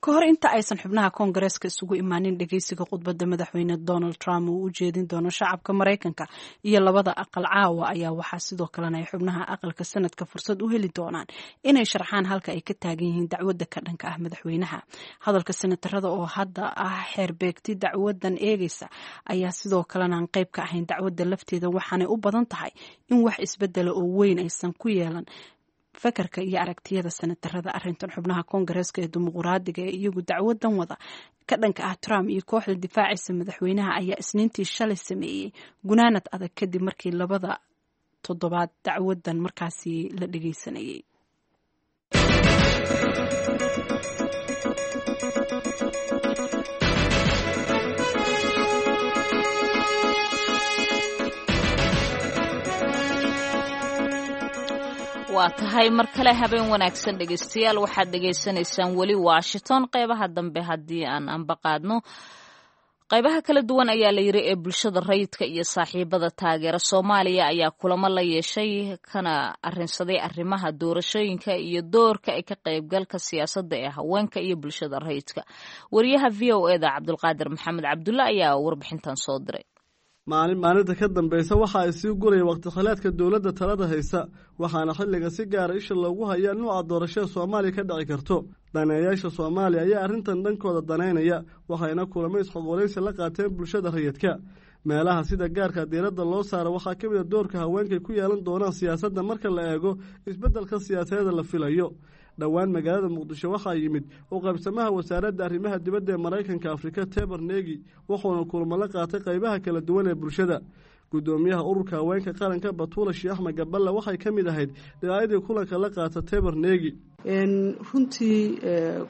Ka hor inta aysan xubnaha koongareeska isugu imaanin dhageysiga khudbadda madaxweyne Donald Trump uu u jeedin doono shacabka Maraykanka iyo labada aqal caawa, ayaa waxaa sidoo kalena ay xubnaha aqalka sanadka fursad u heli doonaan inay sharxaan halka ay ka taagan yihiin dacwadda ka dhanka ah madaxweynaha. Hadalka senatarada oo hadda ah xeerbeegti dacwadan eegeysa ayaa sidoo kalena aan qayb ka ahayn dacwadda lafteeda, waxaanay u badan tahay in wax isbedela oo weyn aysan ku yeelan fakarka iyo aragtiyada senatarada arrintan. Xubnaha koongareeska ee dimuquraadiga ee iyagu dacwadan wada ka dhanka ah Trump iyo kooxda difaacaysa madaxweynaha ayaa Isniintii shalay sameeyey gunaanad adag kadib markii labada toddobaad dacwadan markaasi la dhageysanayay. Waa tahay, mar kale habeen wanaagsan dhegeystayaal. Waxaad dhegeysanaysaan weli Washington. Qeybaha dambe haddii aan anbaqaadno, qaybaha kala duwan ayaa la yiri ee bulshada rayidka iyo saaxiibada taageera Soomaaliya ayaa kulamo la yeeshay kana arrinsaday arrimaha doorashooyinka iyo doorka ay ka qaybgalka siyaasadda ee haweenka iyo bulshada rayidka. Wariyaha VOA-da Cabdulqaadir Maxamed Cabdulle ayaa warbixintan soo diray. Maalin maalinta ka dambaysa waxa ay sii guraya waqti khilaadka dowladda talada haysa, waxaana xilliga si gaara isha loogu hayaa nuuca doorashada Soomaaliya ka dhici karto. Daneeyaasha Soomaaliya ayaa arrintan dhankooda danaynaya, waxayna kulamo isxogoraysi la qaateen bulshada rayidka. Meelaha sida gaarka diiradda loo saaro waxaa ka mid a doorka haweenkay ku yeelan doonaan siyaasadda marka la eego isbeddelka siyaasadeeda la filayo. Dhowaan magaalada Muqdisho waxaa yimid u qaybsamaha wasaaradda arrimaha dibadda ee Maraykanka Afrika, Teber Negi, wuxuuna kulmo la qaatay qaybaha kala duwan ee bulshada. Guddoomiyaha ururka haweenka qaranka, Batuula Sheekh Axmed Gaballe, waxay ka mid ahayd dhinacyadii kulanka la qaata Teber Negi. Runtii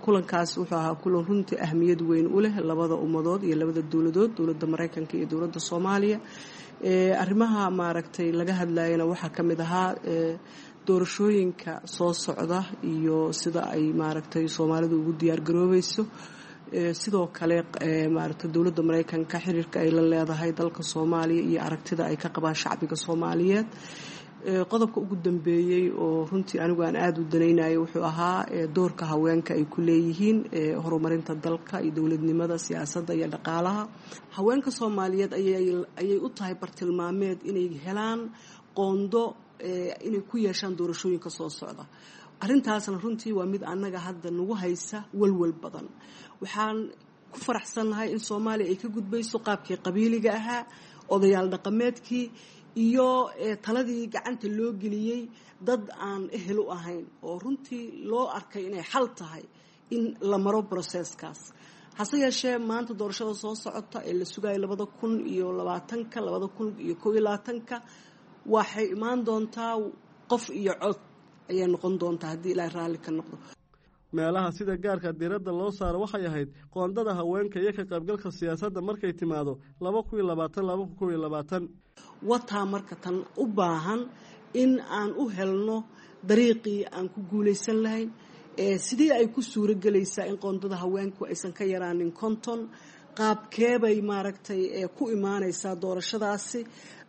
kulankaas wuxuu ahaa kulan runtii ahmiyad weyn u leh labada ummadood iyo labada dowladood, dowladda Maraykanka iyo dowladda Soomaaliya. Arrimaha maaragtay laga hadlayana waxaa ka mid ahaa doorashooyinka soo socda iyo sida ay maaragtay Soomaalidu ugu diyaargaroobayso, sidoo kale maaragtay dowladda Maraykanka xiriirka ay la leedahay dalka Soomaaliya iyo aragtida ay ka qabaan shacbiga Soomaaliyeed. Qodobka ugu dambeeyey oo runtii anigu aan aada u danaynayay wuxuu ahaa doorka haweenka ay ku leeyihiin horumarinta dalka iyo dowladnimada, siyaasadda iyo dhaqaalaha. Haweenka Soomaaliyeed ayay u tahay bartilmaameed inay helaan qoondo inay ku yeeshaan doorashooyinka soo socda. Arrintaasna runtii waa mid annaga hadda nagu haysa walwal badan. Waxaan ku faraxsannahay in Soomaaliya ay ka gudbayso qaabkii qabiiliga ahaa, odayaal dhaqameedkii iyo taladii gacanta loo geliyey dad aan ehel u ahayn, oo runtii loo arkay inay xal tahay in la maro broseskaas. Hase yeeshee maanta doorashada soo socota ee la sugayo 2020-ka, 2021-ka, waxay imaan doontaa qof iyo cod ayay noqon doontaa haddii Ilaahay raalli ka noqdo. Meelaha sida gaarka diiradda loo saaro waxay ahayd qoondada haweenka iyo ka qaybgalka siyaasadda markay timaado 2020, 2021. Wataa marka tan u baahan in aan u helno dariiqii aan ku guulaysan lahayn. Sidii ay ku suuro gelaysaa in qoondada haweenku aysan ka yaraanin 50? Qaabkeebay maaragtay ku imaanaysaa doorashadaasi?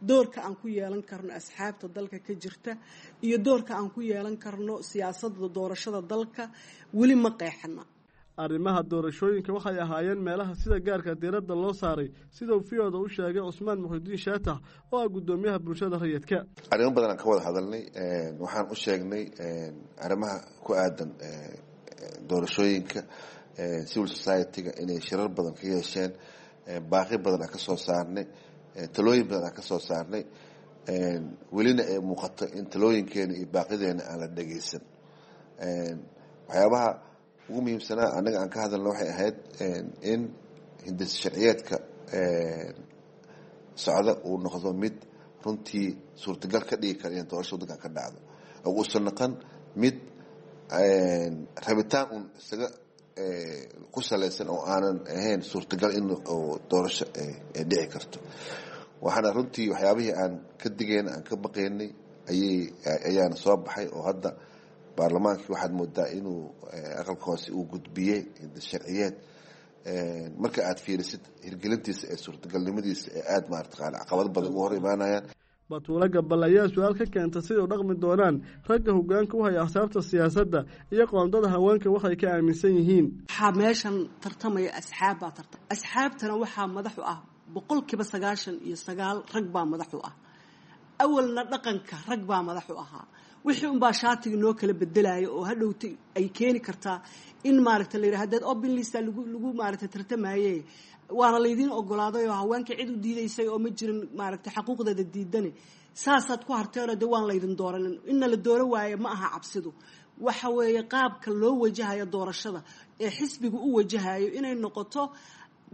Doorka aan ku yeelan karno asxaabta dalka ka jirta iyo doorka aan ku yeelan karno siyaasadda doorashada dalka weli ma qeexna. Arrimaha doorashooyinka waxay ahaayeen meelaha sida gaarka diiradda loo saaray, sidau V O-da u sheegay Cusmaan Muxudiin Shaatax oo ah guddoomiyaha bulshada rayidka. Arrimo badan aan ka wada hadalnay. Waxaan u sheegnay arrimaha ku aadan doorashooyinka, civil society-ga inay shirar badan ka yeesheen, baaqi badan aan ka soo saarnay, talooyin badan aan ka soo saarnay, welina ay muuqato in talooyinkeena iyo baaqideena aan la dhegeysan. Waxyaabaha ugu muhiimsanaa annaga aan ka hadalna waxay ahayd in hindis sharciyeedka socda uu noqdo mid runtii suurtagal ka dhigi kara in doorasho waddankan ka dhacdo, oo uusan noqon mid rabitaan uun isaga ku salaysan oo aanan ahayn suurtagal in doorasho ay dhici karto. Waxaana runtii waxyaabihii aan ka digayna, aan ka baqaynay ayay ayaana soo baxay, oo hadda baarlamaankii waxaad moodaa inuu aqalka hoose uu gudbiyey sharciyeed marka aad fiirisid hirgelintiisa ee suurtagalnimadiisa ee aada maarata caqabado badan ugu hor imaanayaan. Batuulo Gabal ayaa su-aal ka keenta siday u dhaqmi doonaan ragga hoggaanka u haya axsaabta siyaasadda iyo qoondada haweenka waxay ka aaminsan yihiin. Waxaa meeshan tartamaya asxaab baa tartam, asxaabtana waxaa madax u ah 99% rag baa madax u ah. Awalna dhaqanka rag baa madax u ahaa. Wixii unbaa shaatiga noo kala bedelaya oo hadhowta ay keeni kartaa in maaragta la yidhaha hadeed open lista lagu maaragta tartamaye, waana laydiin ogolaaday oo haweenka cid u diidaysay oo ma jirin maaragta xaquuqdeeda diidane, saasaad ku harteenoo dee waan laydin dooranin. Inna la dooro waaye ma aha cabsidu, waxa weeye qaabka loo wajahayo doorashada ee xisbigu u wajahayo inay noqoto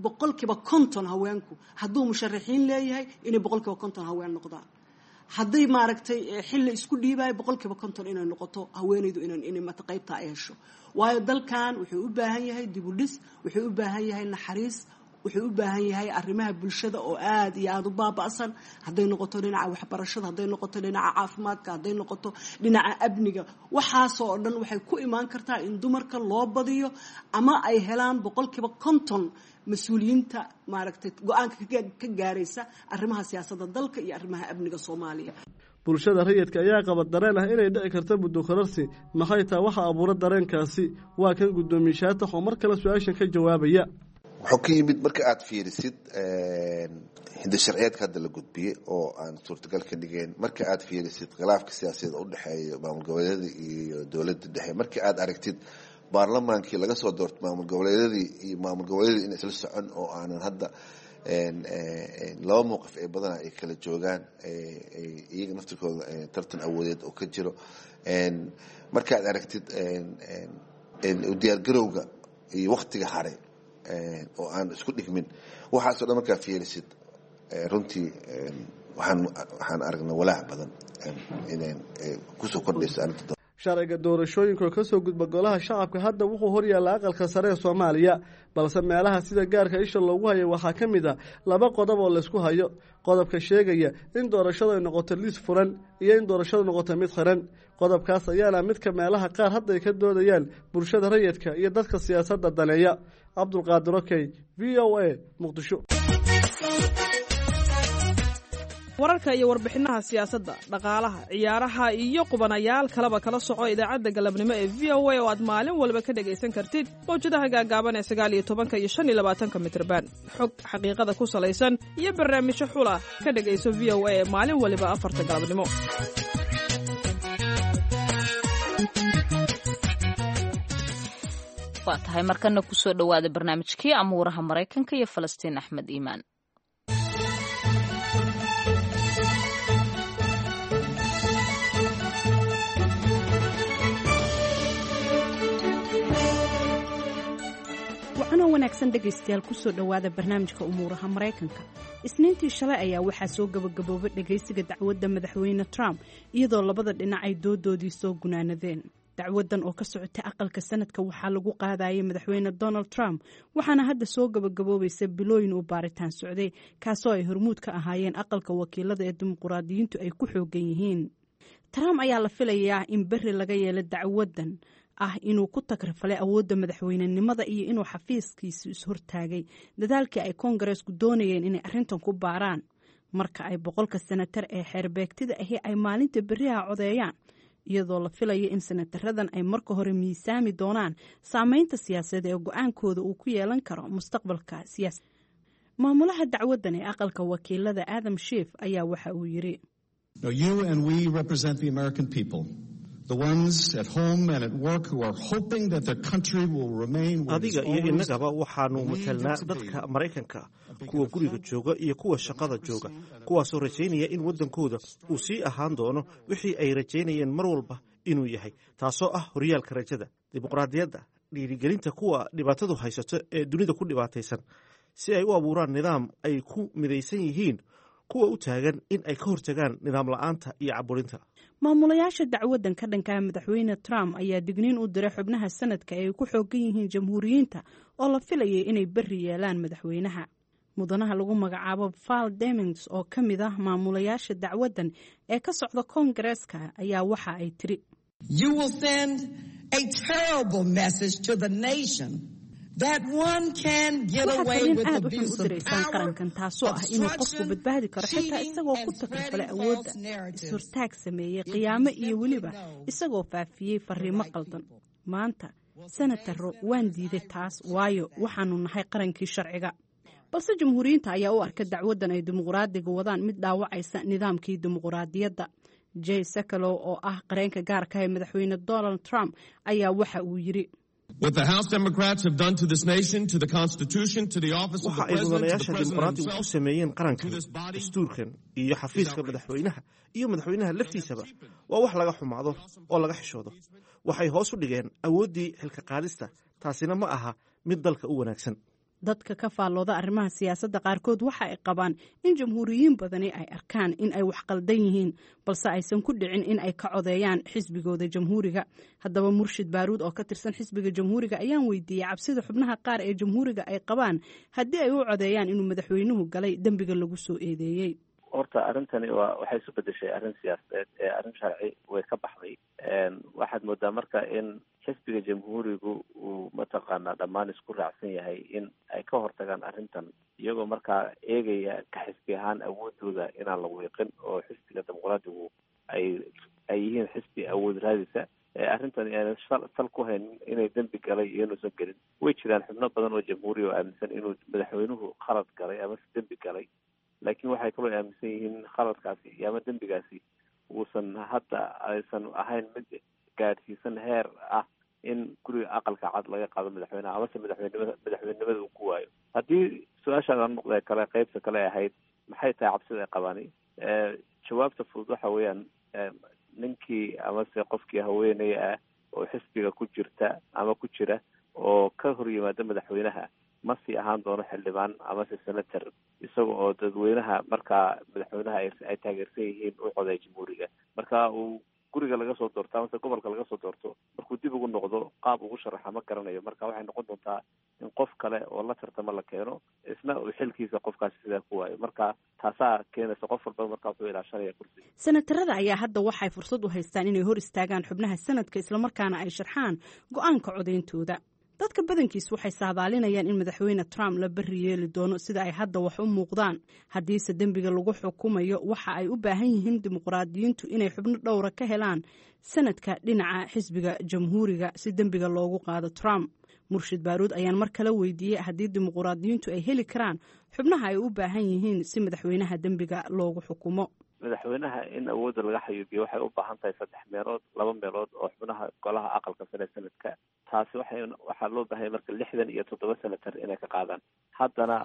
50% haweenku. Hadduu musharaxiin leeyahay, inay 50% haween noqdaan. Hadday maaragtay xilli isku dhiibayo, 50% inay noqoto haweenaydu, inay mata qaybta ay hesho. Waayo dalkan wuxuu u baahan yahay dibudhis, wuxuu u baahan yahay naxariis, wuxuu u baahan yahay arrimaha bulshada oo aada iyo aada u baaba'san, hadday noqoto dhinaca waxbarashada, hadday noqoto dhinaca caafimaadka, hadday noqoto dhinaca amniga. Waxaasoo oo dhan waxay ku imaan kartaa in dumarka loo badiyo ama ay helaan 50% mas-uuliyiinta maaragtay go-aanka ka gaaraysa arrimaha siyaasadda dalka iyo arrimaha amniga Soomaaliya. Bulshada rayidka ayaa qaba dareen ah inay dhici karto muddo kororsi. Maxay taa waxa abuura dareenkaasi? Waa kan guddoomiye Shaatax oo mar kale su-aashan ka jawaabaya. Wuxuu ka yimid marka aad fiirisid hindi sharciyeedka hadda la gudbiyey oo aan suurtagal ka dhigeyn, marka aad fiirisid khilaafka siyaasadeed u dhexeeya maamul goboleedyada iyo dowladda dhexe, marka aad aragtid baarlamaankii laga soo doortay maamul goboleedyadii iyo maamul goboleedyadii in isla socon oo aanan hadda laba mowqif ay badanaa ay kala joogaan, iyaga naftirkooda tartan awoodeed oo ka jiro, marka aad aragtid diyaargarowga iyo waktiga haray oo aan isku dhigmin, waxaasoo dhan markaa fiirisid, runtii waxaan aragnay walaac badan inay kusoo kordhayso arrinta. Sharciga doorashooyinka oo kasoo gudba golaha shacabka hadda wuxuu horyaalla aqalka sare ee Soomaaliya, balse meelaha sida gaarka isha loogu hayo waxaa ka mid a laba qodob oo laysku hayo: qodobka sheegaya in doorashadu ay noqoto liis furan iyo in doorashadu noqoto mid xiran. Qodobkaas ayaana midka meelaha qaar hadda ay ka doodayaan bulshada rayidka iyo dadka siyaasadda daneeya. Cabdulqaadir Okey, VOA, Muqdisho. Wararka iyo warbixinaha siyaasadda, dhaqaalaha, ciyaaraha iyo qubanayaal kaleba kala soco idaacadda galabnimo ee VOA oo aad maalin walba ka dhegaysan kartid mawjadaha gaagaaban ee 19-ka iyo 25-ka mitrban. Xog xaqiiqada ku salaysan iyo barnaamijyo xula ka dhegayso VOA ee maalin waliba 4-ta galabnimo. Waa tahay, markana kusoo dhowaada barnaamijkii amuuraha Maraykanka iyo Falastiin Axmed Iimaan. Wacanoo wanaagsan dhegaystayaal, kusoo dhowaada barnaamijka umuuraha Maraykanka. Isniintii shalay ayaa waxaa soo gabagaboobay dhegaysiga dacwadda madaxweyne Trump, iyadoo labada dhinac ay doodoodii soo gunaanadeen. Dacwadan oo ka socotay aqalka sanadka waxaa lagu qaadayay madaxweyne Donald Trump, waxaana hadda soo gabagaboobaysa bilooyin uu baaritaan socday, kaasoo ay hormuud ka ahaayeen aqalka wakiilada ee dimuqraadiyiintu ay ku xoogan yihiin. Trump ayaa la filayaa in berri laga yeelo dacwadan ah inuu ku tagrifalay awoodda madaxweynenimada iyo inuu xafiiskiisu is-hortaagay dadaalkii ay koongareesku doonayeen inay arrintan ku baaraan. Marka ay 100-ka senatar ee xeerbeegtida ahi ay maalinta berriha codeeyaan, iyadoo la filayo in senataradan ay marka hore miisaami doonaan saameynta siyaasadeed ee go-aankooda uu ku yeelan karo mustaqbalka siyaasa. Maamulaha dacwaddan ee aqalka wakiilada Adam Schiff ayaa waxa uu yiri: The ones at home and at work who are hoping that their country will remain where it is Adiga iyo always. innagaba waxaanu matalnaa dadka Maraykanka, kuwa guriga jooga iyo kuwa shaqada jooga, kuwaasoo rajaynaya in waddankooda uu sii ahaan doono wixii ay rajaynayeen mar walba inuu yahay, taasoo ah horyaalka rajada, dimuqraadiyadda, dhiirigelinta kuwa dhibaatadu haysato ee dunida ku dhibaataysan si ay u abuuraan nidaam ay ku midaysan yihiin, kuwa u taagan in ay ka hortagaan nidaam la'aanta iyo caburinta. Maamulayaasha dacwaddan ka dhankaha madaxweyne Trump ayaa digniin u diray xubnaha sanadka ee ay ku xoogan yihiin jamhuuriyiinta oo la filayay inay berri yeelaan madaxweynaha. Mudanaha lagu magacaabo Val Demings oo ka mid ah maamulayaasha dacwaddan ee ka socda koongareeska ayaa waxa ay tiri: You will send a terrible message to the nation that one can get Waxaad away fariin with aad u xun abuse u of diraysaan power, qarankan, taasoo ah inuu qofku obstruction, badbaadi karo xitaa cheating, isagoo ku and takrifalay spreading awoodda, false narratives. is-hortaag sameeyey, qiyaamo iyo weliba isagoo faafiyey fariimo qaldan. Maanta senataro waan diiday taas, waayo waxaanu nahay qarankii sharciga. Balse jamhuuriyiinta ayaa u arka dacwaddan ay dimuqraadiga wadaan mid dhaawacaysa nidaamkii dimuqraadiyadda. Jay Sekulow oo ah qareenka gaarka ah ee madaxweyne Donald Trump ayaa waxa uu yiri: What the House Democrats have done to this nation, to the Constitution, to the office of Waxa the ay President, to the mudanayaasha President dimuqraadigu ku himself, sameeyeen qarankan, dastuurkan iyo xafiiska madaxweynaha iyo madaxweynaha laftiisaba waa wax laga xumaado oo laga xishoodo. Waxay hoos u dhigeen awooddii xilka qaadista, taasina ma aha mid dalka u wanaagsan. Dadka ka faallooda arrimaha siyaasadda qaarkood waxa ay qabaan in jamhuuriyiin badani ay arkaan in ay wax qaldan yihiin, balse aysan ku dhicin in ay ka codeeyaan xisbigooda jamhuuriga. Haddaba Murshid Baaruud oo ka tirsan xisbiga jamhuuriga ayaan weydiiyey cabsida xubnaha qaar ee jamhuuriga ay qabaan haddii ay u codeeyaan inuu madaxweynuhu galay dembiga lagu soo eedeeyey. Horta arrintani waa waxay isu bedeshay arrin siyaasadeed ee arrin sharci way ka baxday. Waxaad moodaa marka in xisbiga jamhuurigu uu mataqaanaa dhammaan isku raacsan yahay in ay ka hortagaan arrintan, iyagoo markaa eegaya ka xisbi ahaan awoodooda inaan la wiiqin, oo xisbiga dimuqraadigu ay yihiin xisbi awood raadisa. Arrintan aanan sal ku haynin inay dembi galay iyo inuusan gelin. Way jiraan xubno badan oo jamhuuri oo aaminsan inuu madaxweynuhu khalad galay ama si dembi galay, laakiin waxay kaloo aaminsan yihiin in khaladkaasi iyo ama dembigaasi uusan hadda aysan ahayn mid gaadhsiisan heer ah in guriga aqalka cad laga qaado madaxweynaha amase madaxweynenimada uu ku waayo. Haddii su-aashaan noqdee kale, qeybta kale ahayd maxay tahay cabsida ay qabaani, jawaabta fudud waxa weeyaan ninkii amase qofkii haweeney ah oo xisbiga ku jirta ama ku jira oo ka hor yimaada madaxweynaha ma sii ahaan doono xildhibaan amase senator, isaga oo dadweynaha markaa madaxweynaha ay taageersan yihiin u coday jamhuuriga. Marka uu guriga laga soo doorto amase gobolka laga soo doorto, markuu dib ugu noqdo qaab ugu sharaxa ma garanayo. Marka waxay noqon doontaa in qof kale oo la tartamo la keeno, isna uu xilkiisa qofkaasi sidaa ku waayo. Marka taasaa keenaysa qof walba marka wuxuu ilaashanaya kursiga. Senatarada ayaa hadda waxay fursad u haystaan inay hor istaagaan xubnaha sanadka, islamarkaana ay sharxaan go-aanka codeyntooda. Dadka badankiis waxay saadaalinayaan in madaxweyne Trump la berri yeeli doono sida ay hadda wax u muuqdaan. Haddiise dembiga lagu xukumayo, waxa ay u baahan yihiin dimuqraadiyiintu inay xubno dhowra ka helaan sanadka dhinaca xisbiga jamhuuriga si dembiga loogu qaado Trump. Murshid Baaruud ayaan mar kale weydiiyey haddii dimuqraadiyiintu ay heli karaan xubnaha ay u baahan yihiin si madaxweynaha dembiga loogu xukumo. Madaxweynaha in awoodda laga xayuubiyo waxay u baahan tahay 3 meelood 2 meelood oo xubnaha golaha aqalka sare sanadka. Taasi waxaa loo baahanya marka 67 senator inay ka qaadaan. Haddana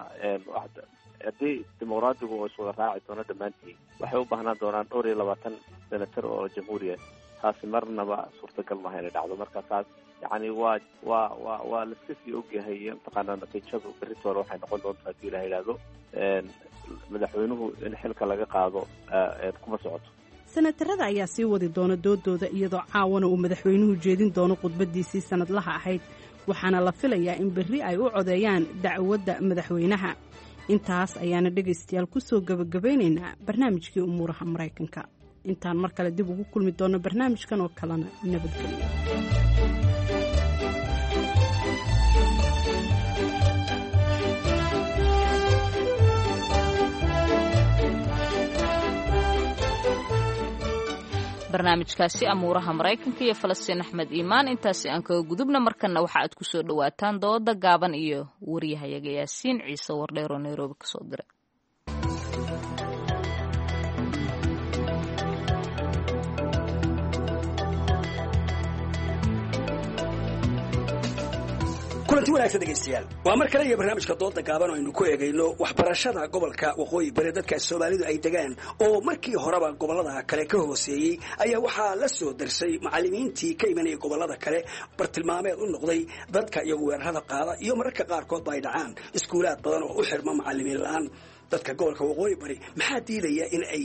haddii dimuqraadigu oo iswada raaci doono dhammaantii, waxay u baahnaan doonaan dhowr iyo 20 senator oo jamhuuriya. Taasi marnaba suurtagal maaha inay dhacdo. Marka taas yacni waa waa waa waa laiska sii ogyahay mataqaanaa natiijadu beritoole waxay noqon doontaa hadii la yidhaahdo madaxweynuhu in xilka laga qaado kuma socoto. Senatarada ayaa sii wadi doona doodooda, iyadoo caawana uu madaxweynuhu jeedin doono khudbadiisii sanadlaha ahayd, waxaana la filayaa in berri ay u codeeyaan dacwadda madaxweynaha. Intaas ayaana dhegaystayaal ku soo gebagabaynaynaa barnaamijkii umuuraha Maraykanka. Intaan mar kale dib ugu kulmi doonno barnaamijkan oo kalena, nabadgelyo. Barnaamijkaasi amuuraha Maraykanka iyo Falastiin Axmed Iimaan intaasi aan kaga gudubna. Markana waxa aad ku soo dhawaataan dooda gaaban iyo wariyahayaga Yaasiin Ciise Wardheer oo Nairobi kasoo diray. Kulanti wanaagsan dhegaystayaal, waa mar kale iyo barnaamijka dooda gaaban oo aynu ku eegayno waxbarashada gobolka Waqooyi Bari. Dadka Soomaalidu ay degaan oo markii horeba gobollada kale ka hooseeyey ayaa waxaa la soo darsay macallimiintii ka imanaya gobollada kale, bartilmaameed u noqday dadka iyagu weerarada qaada, iyo mararka qaarkoodba ay dhacaan iskuulaad badan oo u xirma macallimiin la-aan. Dadka gobolka Waqooyi Bari maxaa diidaya in ay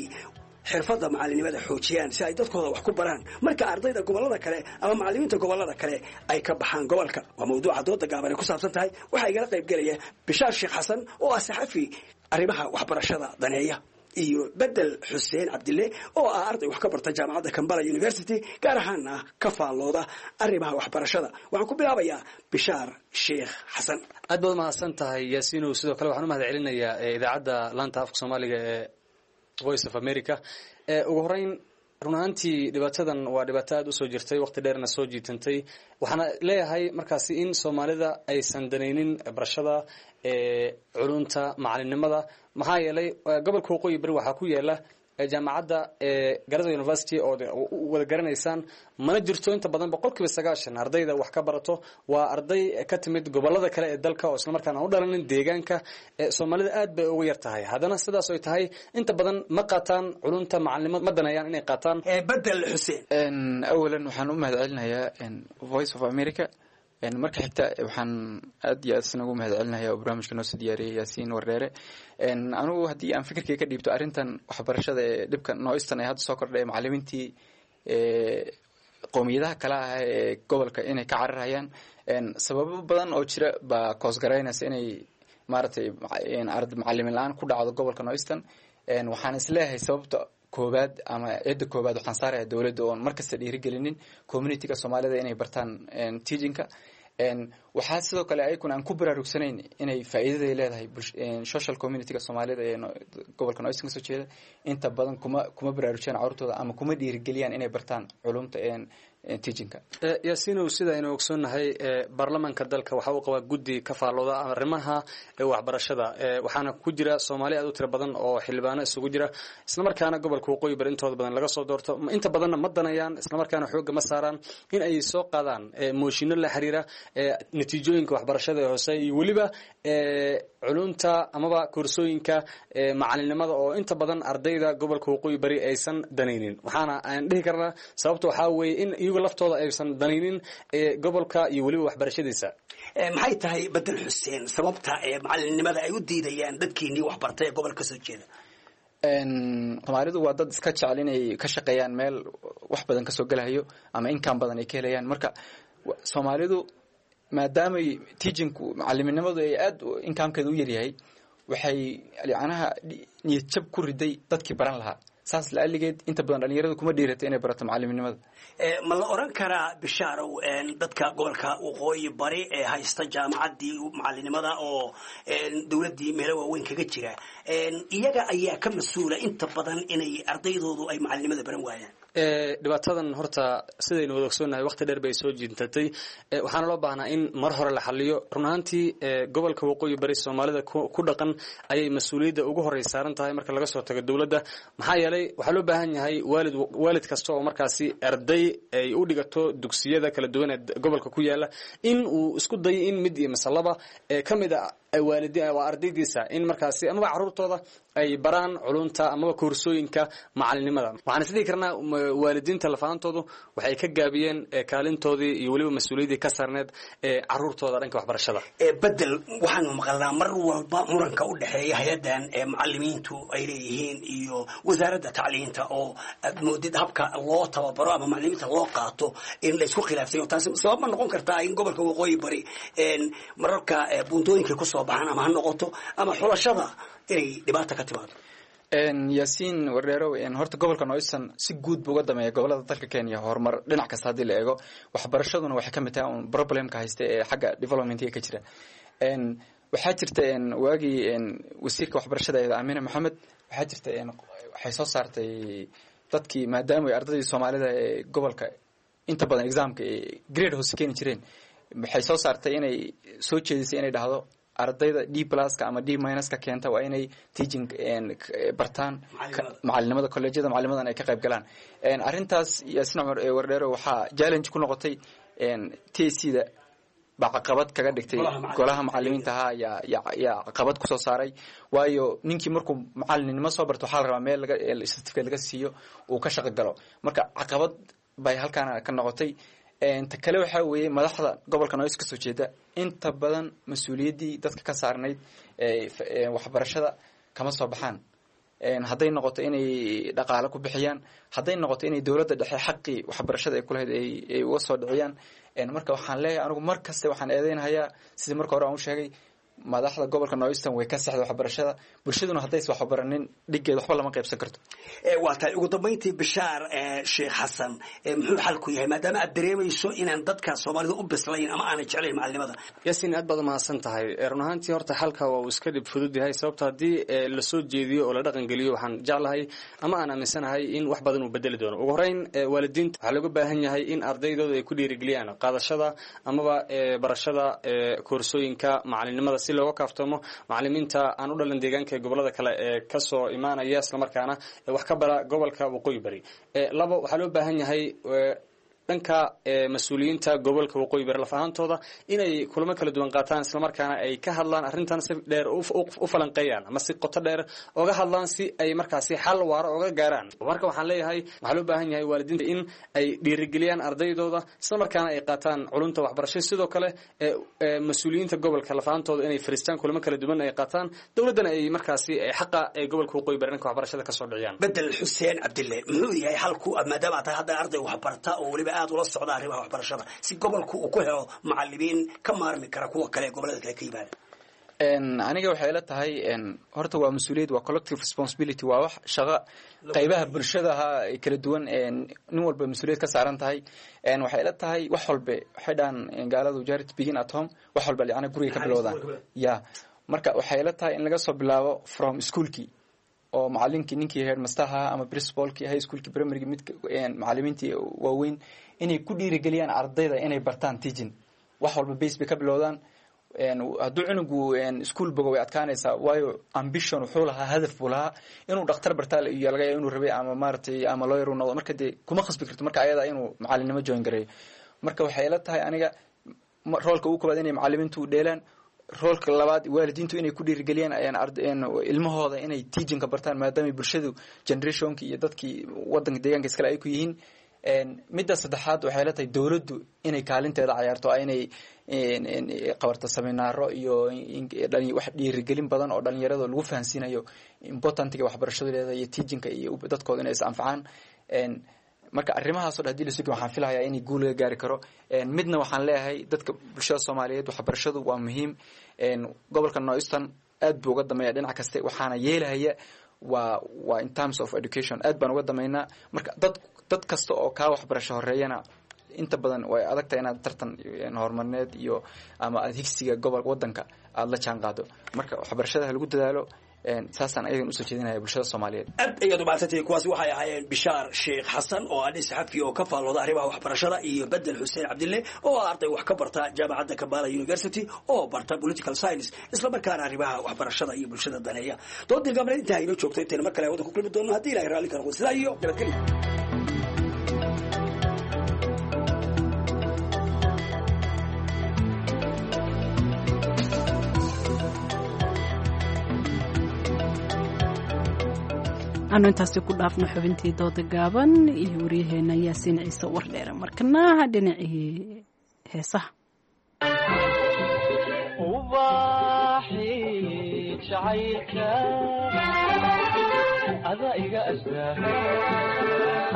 xirfadda macalinimada xoojiyaan si ay dadkooda wax ku baraan marka ardayda gobollada kale ama macallimiinta gobollada kale ay ka baxaan gobolka? Waa mawduuca dooda gaaban ay ku saabsan tahay. Waxaa igala qayb gelaya Bishaar Sheekh Xasan oo ah saxafi arrimaha waxbarashada daneeya, iyo Bedel Xuseen Cabdille oo ah arday wax ka barta jaamacadda Kambala University, gaar ahaana ka faallooda arrimaha waxbarashada. Waxaan ku bilaabayaa Bishaar Sheekh Xasan. Aad baad umahadsan tahay, Yaasiinow. Sidoo kale waxaan u mahad celinayaa idaacadda laanta afka Soomaaliga ee Voice of America. Ugu horeyn, run ahaantii dhibaatadan waa dhibaato aada usoo jirtay, waqti dheerna soo jiitantay. Waxaana leeyahay markaasi in Soomaalida aysan danaynin barashada culunta macalinimada, maxaa yeelay gobolka Waqooyi Bari waxaa ku yaala jaamacadda Garissa University oo wada garanaysaan, mana jirto inta badan 90% ardayda wax ka barato waa arday ka timid gobolada kale ee dalka oo islamarkaana aan u dhalanin deegaanka. Soomaalida aad bay ugu yar tahay. Haddana sidaas ay tahay, inta badan ma qaataan culunta macalinimada, ma daneeyaan inay qaataan. Bedel Xuseen. Awalan waxaan u mahad celinayaa Voice of America. Marka xigta waxaan aad iyo aad isna ugu mahad celinaya oo barnaamijka noo soo diyaariyay Yaasiin Wardheere. Anigu haddii aan fikirkay ka dhiibto arrintan waxbarashada ee dhibka nooistan ee hadda soo kordhay, macallimiintii qowmiyadaha kale ah ee gobolka inay ka cararayaan, sababo badan oo jira baa koosgaraynaysa inay maaragtay macallimiin la-aan ku dhacdo gobolka Noistan. Waxaan isleeyahay sababta koobaad ama cidda koobaad waxaan saaraya dowladda oon markasta dhiirigelinin communityga Soomaalida inay bartaan teachingka. Waxaa sidoo kale ayakuna aan ku baraarugsanayn inay faa'iidaday leedahay social communityga Soomaalida ee gobolka Noistan kasoo jeeda. Inta badan kuma baraarujiyaan carruurtooda ama kuma dhiirigeliyaan inay bartaan culumta teachingka. Yaasiinow, sida aynu ogsoonnahay, baarlamaanka dalka waxa uu qabaa guddi ka faallooda arrimaha waxbarashada, waxaana ku jira Soomaali aad u tiro badan oo xildhibaano isugu jira, islamarkaana gobolka Waqooyi Bari intooda badan laga soo doorto. Inta badanna ma danayaan, islamarkaana xoogga ma saaraan in ay soo qaadaan mooshinno la xiriira natiijooyinka waxbarashada ee hoose iyo weliba culunta amaba koorsooyinka macalinimada oo inta badan ardayda gobolka Waqooyi Bari aysan danaynin. Waxaana aan dhihi karnaa sababta waxaa weeye in iyagu laftooda aysan danaynin gobolka iyo weliba waxbarashadiisa. Maxay tahay, Bedel Xuseen, sababta ee macalinimada ay u diidayaan dadkiinii waxbartay ee gobolka kasoo jeeda? Soomaalidu waa dad iska jecel inay ka shaqeeyaan meel wax badan kasoo gelahayo ama inkaan badan ay ka helayaan. Marka Soomaalidu maadaamay teachingku macaliminimadu ay aada inkaamkeeda u yaryahay, waxay yacnaha niyad jab ku riday dadkii baran lahaa. Saas la-aligeed inta badan dhalinyaradu kuma dhiiratay inay barato macaliminimada. Ma la oran karaa, Bishaarow, dadka gobolka Waqooyi Bari ee haysta jaamacaddii macalinimada oo dowladdii meelo waaweyn kaga jira, iyaga ayaa ka mas-uula inta badan inay ardaydoodu ay macalinimada baran waayaan? Dhibaatadan horta sidaynu wada ogsoonnahay waqti dheer bay soo jiintatay, waxaana loo baahnaa in mar hore la xaliyo. Run ahaantii gobolka Waqooyi Bari Soomaalida ku dhaqan ayay mas-uuliyadda ugu horey saaran tahay marka laga soo tago dowladda, maxaa yeelay waxaa loo baahan yahay waalid kasta oo markaasi arday ay u dhigato dugsiyada kala duwan ee gobolka ku yaala in uu isku dayo in mid iyo masalaba ka mid a waa ardaydiisa in markaasi amaba caruurtooda ay baraan culunta amaba koorsooyinka macalinimada. Waxaan isdhihi karnaa waalidiinta lafaantoodu waxay ka gaabiyeen kaalintoodii iyo weliba mas-uuliyaddii ka saarneed ee caruurtooda dhanka waxbarashada. Bedel, waxaanu maqalnaa mar walba muranka u dhexeeya hay-addan ee macalimiintu ay leeyihiin iyo wasaaradda tacliinta oo aad moodid habka loo tababaro ama macalimiinta loo qaato in la isku khilaafsayo. Taasi sabab ma noqon kartaa in gobolka Waqooyi Bari mararka buuntooyinka kusoo baxaan ama ha noqoto ama xulashada inay dhibaata ka timaado? Yaasiin Wardheerow, horta gobolka Noyston si guud buu uga dameeya gobolada dalka Kenya horumar dhinac kasta haddii la eego. Waxbarashaduna waxay ka mid tahay un problemka haysta ee xagga developmentiga ka jira. Waxaa jirta waagii wasiirka waxbarashada ee Amina Maxamed, waxaa jirta waxay soo saartay dadkii, maadaama ay ardaydii Soomaalida ee gobolka inta badan examka grade hoose keeni jireen, waxay soo saartay inay soo jeedisay inay dhahdo ardayda D pluska ama D minuska keenta waa inay teaching bartaan, macalinimada colleejyada macalinimadan ay ka qayb galaan. Arrintaas, Yaasin Cumar Wardheero, waxaa challenge ku noqotay TSC da baa caqabad kaga dhigtay. Golaha macalimiinta ahaa yaa caqabad kusoo saaray, waayo ninkii markuu macalinimo soo barto waxaa la rabaa meel laga certificate laga siiyo uu ka shaqo galo. Marka caqabad bay halkaana ka noqotay. Ta kale waxaa weeye madaxda gobolka Noys kasoo jeeda inta badan mas-uuliyaddii dadka ka saarnayd waxbarashada kama soo baxaan, hadday noqoto inay dhaqaale ku bixiyaan, hadday noqoto inay dowladda dhexe xaqii waxbarashada ay kulahayd ay uga soo dhiciyaan. Marka waxaan leeyahay anigu mar kaste waxaan eedeynhayaa, sidii marka hore aan u sheegay, madaxda gobolka Noyston way ka saxda waxbarashada. Bulshaduna haddaysa waxbaranin dhiggeed waxba lama qaybsan karto. Waa tahay. Ugu dambayntii, Bishaar Sheekh Xasan, muxuu xalku yahay maadaama aad dareemayso inaan dadka Soomaalida u bislayn ama aanay jeclayn macalinimada? Yaasiin, aad baad umahadsan tahay. Run ahaantii horta xalka waa uu iska dhib fudud yahay, sababto haddii lasoo jeediyo oo la dhaqan geliyo waxaan jeclahay ama aan aaminsanahay in wax badan uu bedeli doono. Ugu horeyn waalidiinta waxaa looga baahan yahay in ardaydooda ay ku dhiirigeliyaan qaadashada amaba barashada koorsooyinka macalinimada si looga kaaftoomo macalimiinta aan u dhalan deegaanka ee gobolada kale ee kasoo imaanaya islamarkaana wax ka bara gobolka Waqooyi Bari. Labo, waxaa loo baahan yahay dhanka mas-uuliyiinta gobolka Waqooyi Bari laf ahaantooda inay kulamo kala duwan qaataan islamarkaana ay ka hadlaan arrintan, si dheer u falanqeeyaan ama si qoto dheer oga hadlaan si ay markaasi xal waaro oga gaaraan. Marka waxaan leeyahay waxaa loo baahan yahay waalidiinta in ay dhiirigeliyaan ardaydooda islamarkaana ay qaataan culunta waxbarasho. Sidoo kale mas-uuliyiinta gobolka laf ahaantooda inay fariistaan, kulamo kala duwan ay qaataan, dowladdana ay markaasi xaqa ee gobolka Waqooyi Bari dhanka waxbarashada kasoo dhiciyaan. Bedel Xuseen Cabdille, muxuu yahay xalku maadaama aad tahay hadda arday waxbarta oo weliba aad ula socda arrimaha waxbarashada, si gobolku uu ku helo macalimiin ka maarmi kara kuwa kale ee gobolada kale ka yimaada? Aniga waxay ila tahay horta waa mas-uuliyad, waa collective responsibility, waa wax shaqo qaybaha bulshadaha kala duwan nin walba mas-uuliyad ka saaran tahay. Waxay ila tahay wax walbe waxay dhahan gaaladu "Charity begin at home", wax walba yacni guriga ka bilowdaan ya. Marka waxay ila tahay in laga soo bilaabo from schoolkii oo macalinkii, ninkii headmasterha ama principalkii high schoolkii, primarygii, mid macalimiintii waaweyn inay ku dhiirigeliyaan ardayda inay bartaan teaching. Wax walba base bay ka bilowdaan. Hadduu cunugu school bogo way adkaanaysaa, waayo ambition wuxuu lahaa, hadaf buu lahaa inuu dhakhtar bartaa iyo laga yaaba inuu rabay ama maaragtay ama lawyer uu noqdo. Marka dee kuma khasbi karto marka ayada inuu macalinimo join gareeyo. Marka waxay ila tahay aniga roolka ugu koobaad inay macalimiintu dheelaan, roolka labaad waalidiintu inay ku dhiirigeliyaan ilmahooda inay teachingka bartaan, maadaama bulshadu generationki iyo dadkii wadanka deegaanka iskale ay ku yihiin. Midda saddexaad waxay la tahay dowladdu inay kaalinteeda cayaarto, inay qabarto seminaaro iyo wax dhiirigelin badan oo dhalinyarada lagu fahansiinayo importantiga waxbarashadu leedahay iyo teachingka iyo dadkooda inay is anfacaan. Marka arrimahaas o dhan hadii la sugi, waxaan filahayaa inay guul laga gaari karo. Midna waxaan leeyahay dadka bulshada Soomaaliyeed, waxbarashadu waa muhiim. Gobolka Northeastern aad buu uga dameeya dhinac kaste, waxaana yeelahaya waa in terms of education aad baan uga dameynaa. Marka dad kasta oo kaa waxbarasho horeeyana inta badan way adagtahay inaad tartan horumarneed iyo ama aad higsiga gobol wadanka aada la jaan qaado. Marka waxbarashada ha lagu dadaalo. Saasaan ayagan usoo jeedinaya bulshada Soomaaliyeed. Aad ayaad umahadsantihiin. Kuwaasi waxay ahaayeen Bishaar Sheekh Xasan oo ah nin saxafi oo ka faallooda arrimaha waxbarashada, iyo Bedel Xuseen Cabdille oo ah arday wax ka barta jaamacadda Kampala University oo barta political science, islamarkaana arrimaha waxbarashada iyo bulshada daneeya. Doodii gabreed intaa inoo joogto, intayna mar kale hawada ku kulmi doono haddii Ilahay raalli ka noqdo, sidaa iyo nabadgelyo. Aanu intaasi ku dhaafno xubintii dooda gaaban iyo waryaheena Yaasiin Ciise Wardheere. Markana dhinacii heesaha. Ada iga astaa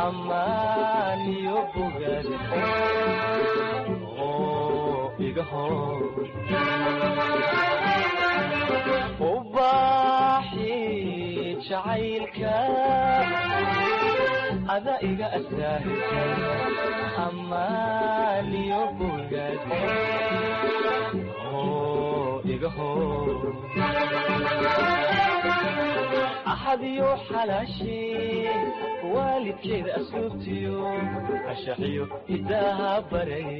ammaaniyo bogaad oo iga hor ubaaxi jacaylka. Ada iga astaa ammaaniyo bogaad oo iga hor axadiyo xalaashii waalidkeeda asluubtiyo ashaxiyo hidaaha baray.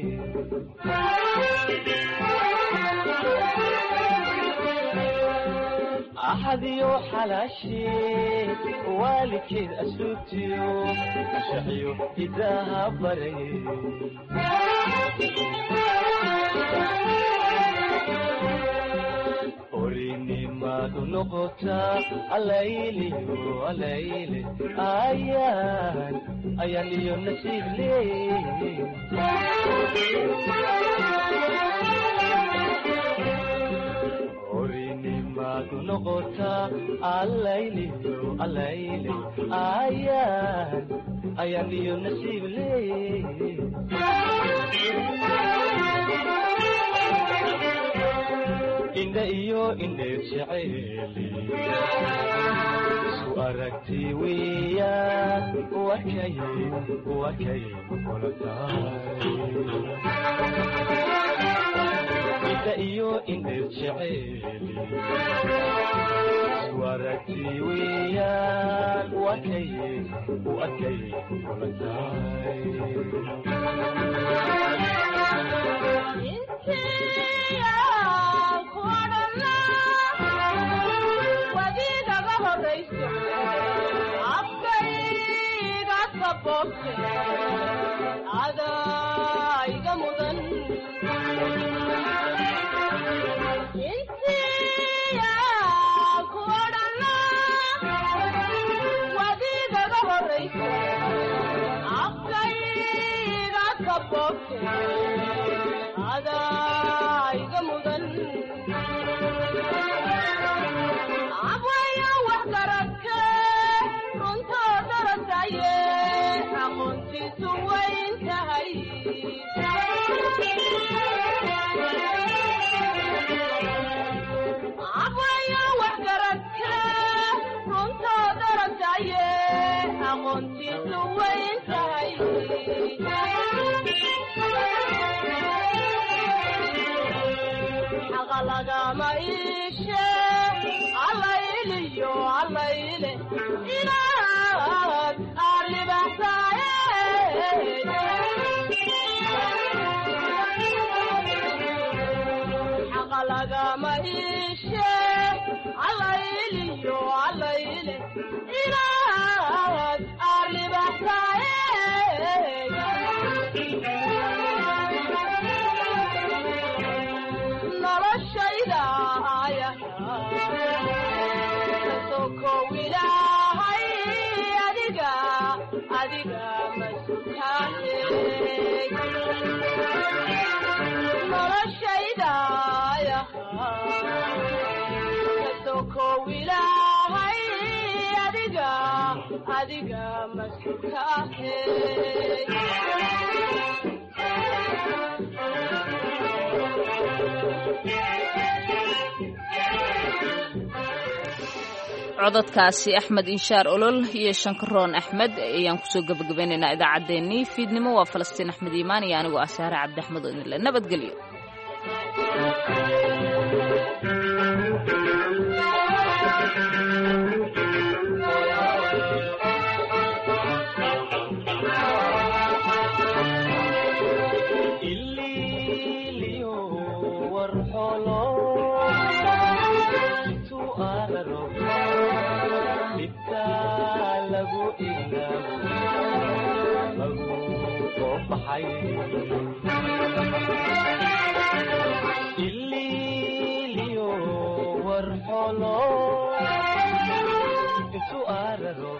Axadiyo xalaashii waalidkeeda asluubtiyo ashaxiyo hidaaha baray. Orinimadu noqotaa alayliyo alayle ayaan ayaan iyo nasiib leey. Orinimadu noqotaa alayliyo alayle ayaan ayaan iyo nasiib leey. Indha iyo indheer jeceeli isku aragti weeyaan, wakay wakay kula tahay. Indha iyo indheer jeceeli isku aragti weeyaan, wakay wakay kula tahay. Adaiga mudan intiya ku odhana wadiigaga horayso afkayga ka boobte adaiga mudan abwaya wax garadka runtoo darasaye aqoontiisu wayn tahay. Abwaya wax garadka runtoo darasaye aqoontiisu wayn tahay. Xaqa lagama iishe allayliyo allayle inaad aad libaxsaaye. Xaqa lagama iishe allayliyo allayle inaad aad libaxsaaye. Noloshayda aya kasokow ilaahay adiga adiga masutaane. Noloshayda aya kasokow ilaahay adiga adiga masutaane. Cododkaasi Axmed Inshaar Olol iyo Shankaroon Axmed ayaan kusoo gabagabaynaynaa idaacaddeenii fiidnimo. Waa Falastiin Axmed Iimaan iyo anigoo ah Saare Cabdi Axmed oo idinle nabadgelyo. araro dhibta lagu ilaawo lagu soo baxay ililiyo warxolo isu araro.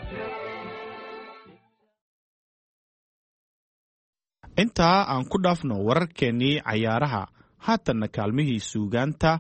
Intaa aan ku dhaafno wararkeennii cayaaraha, haatanna kaalmihii suugaanta.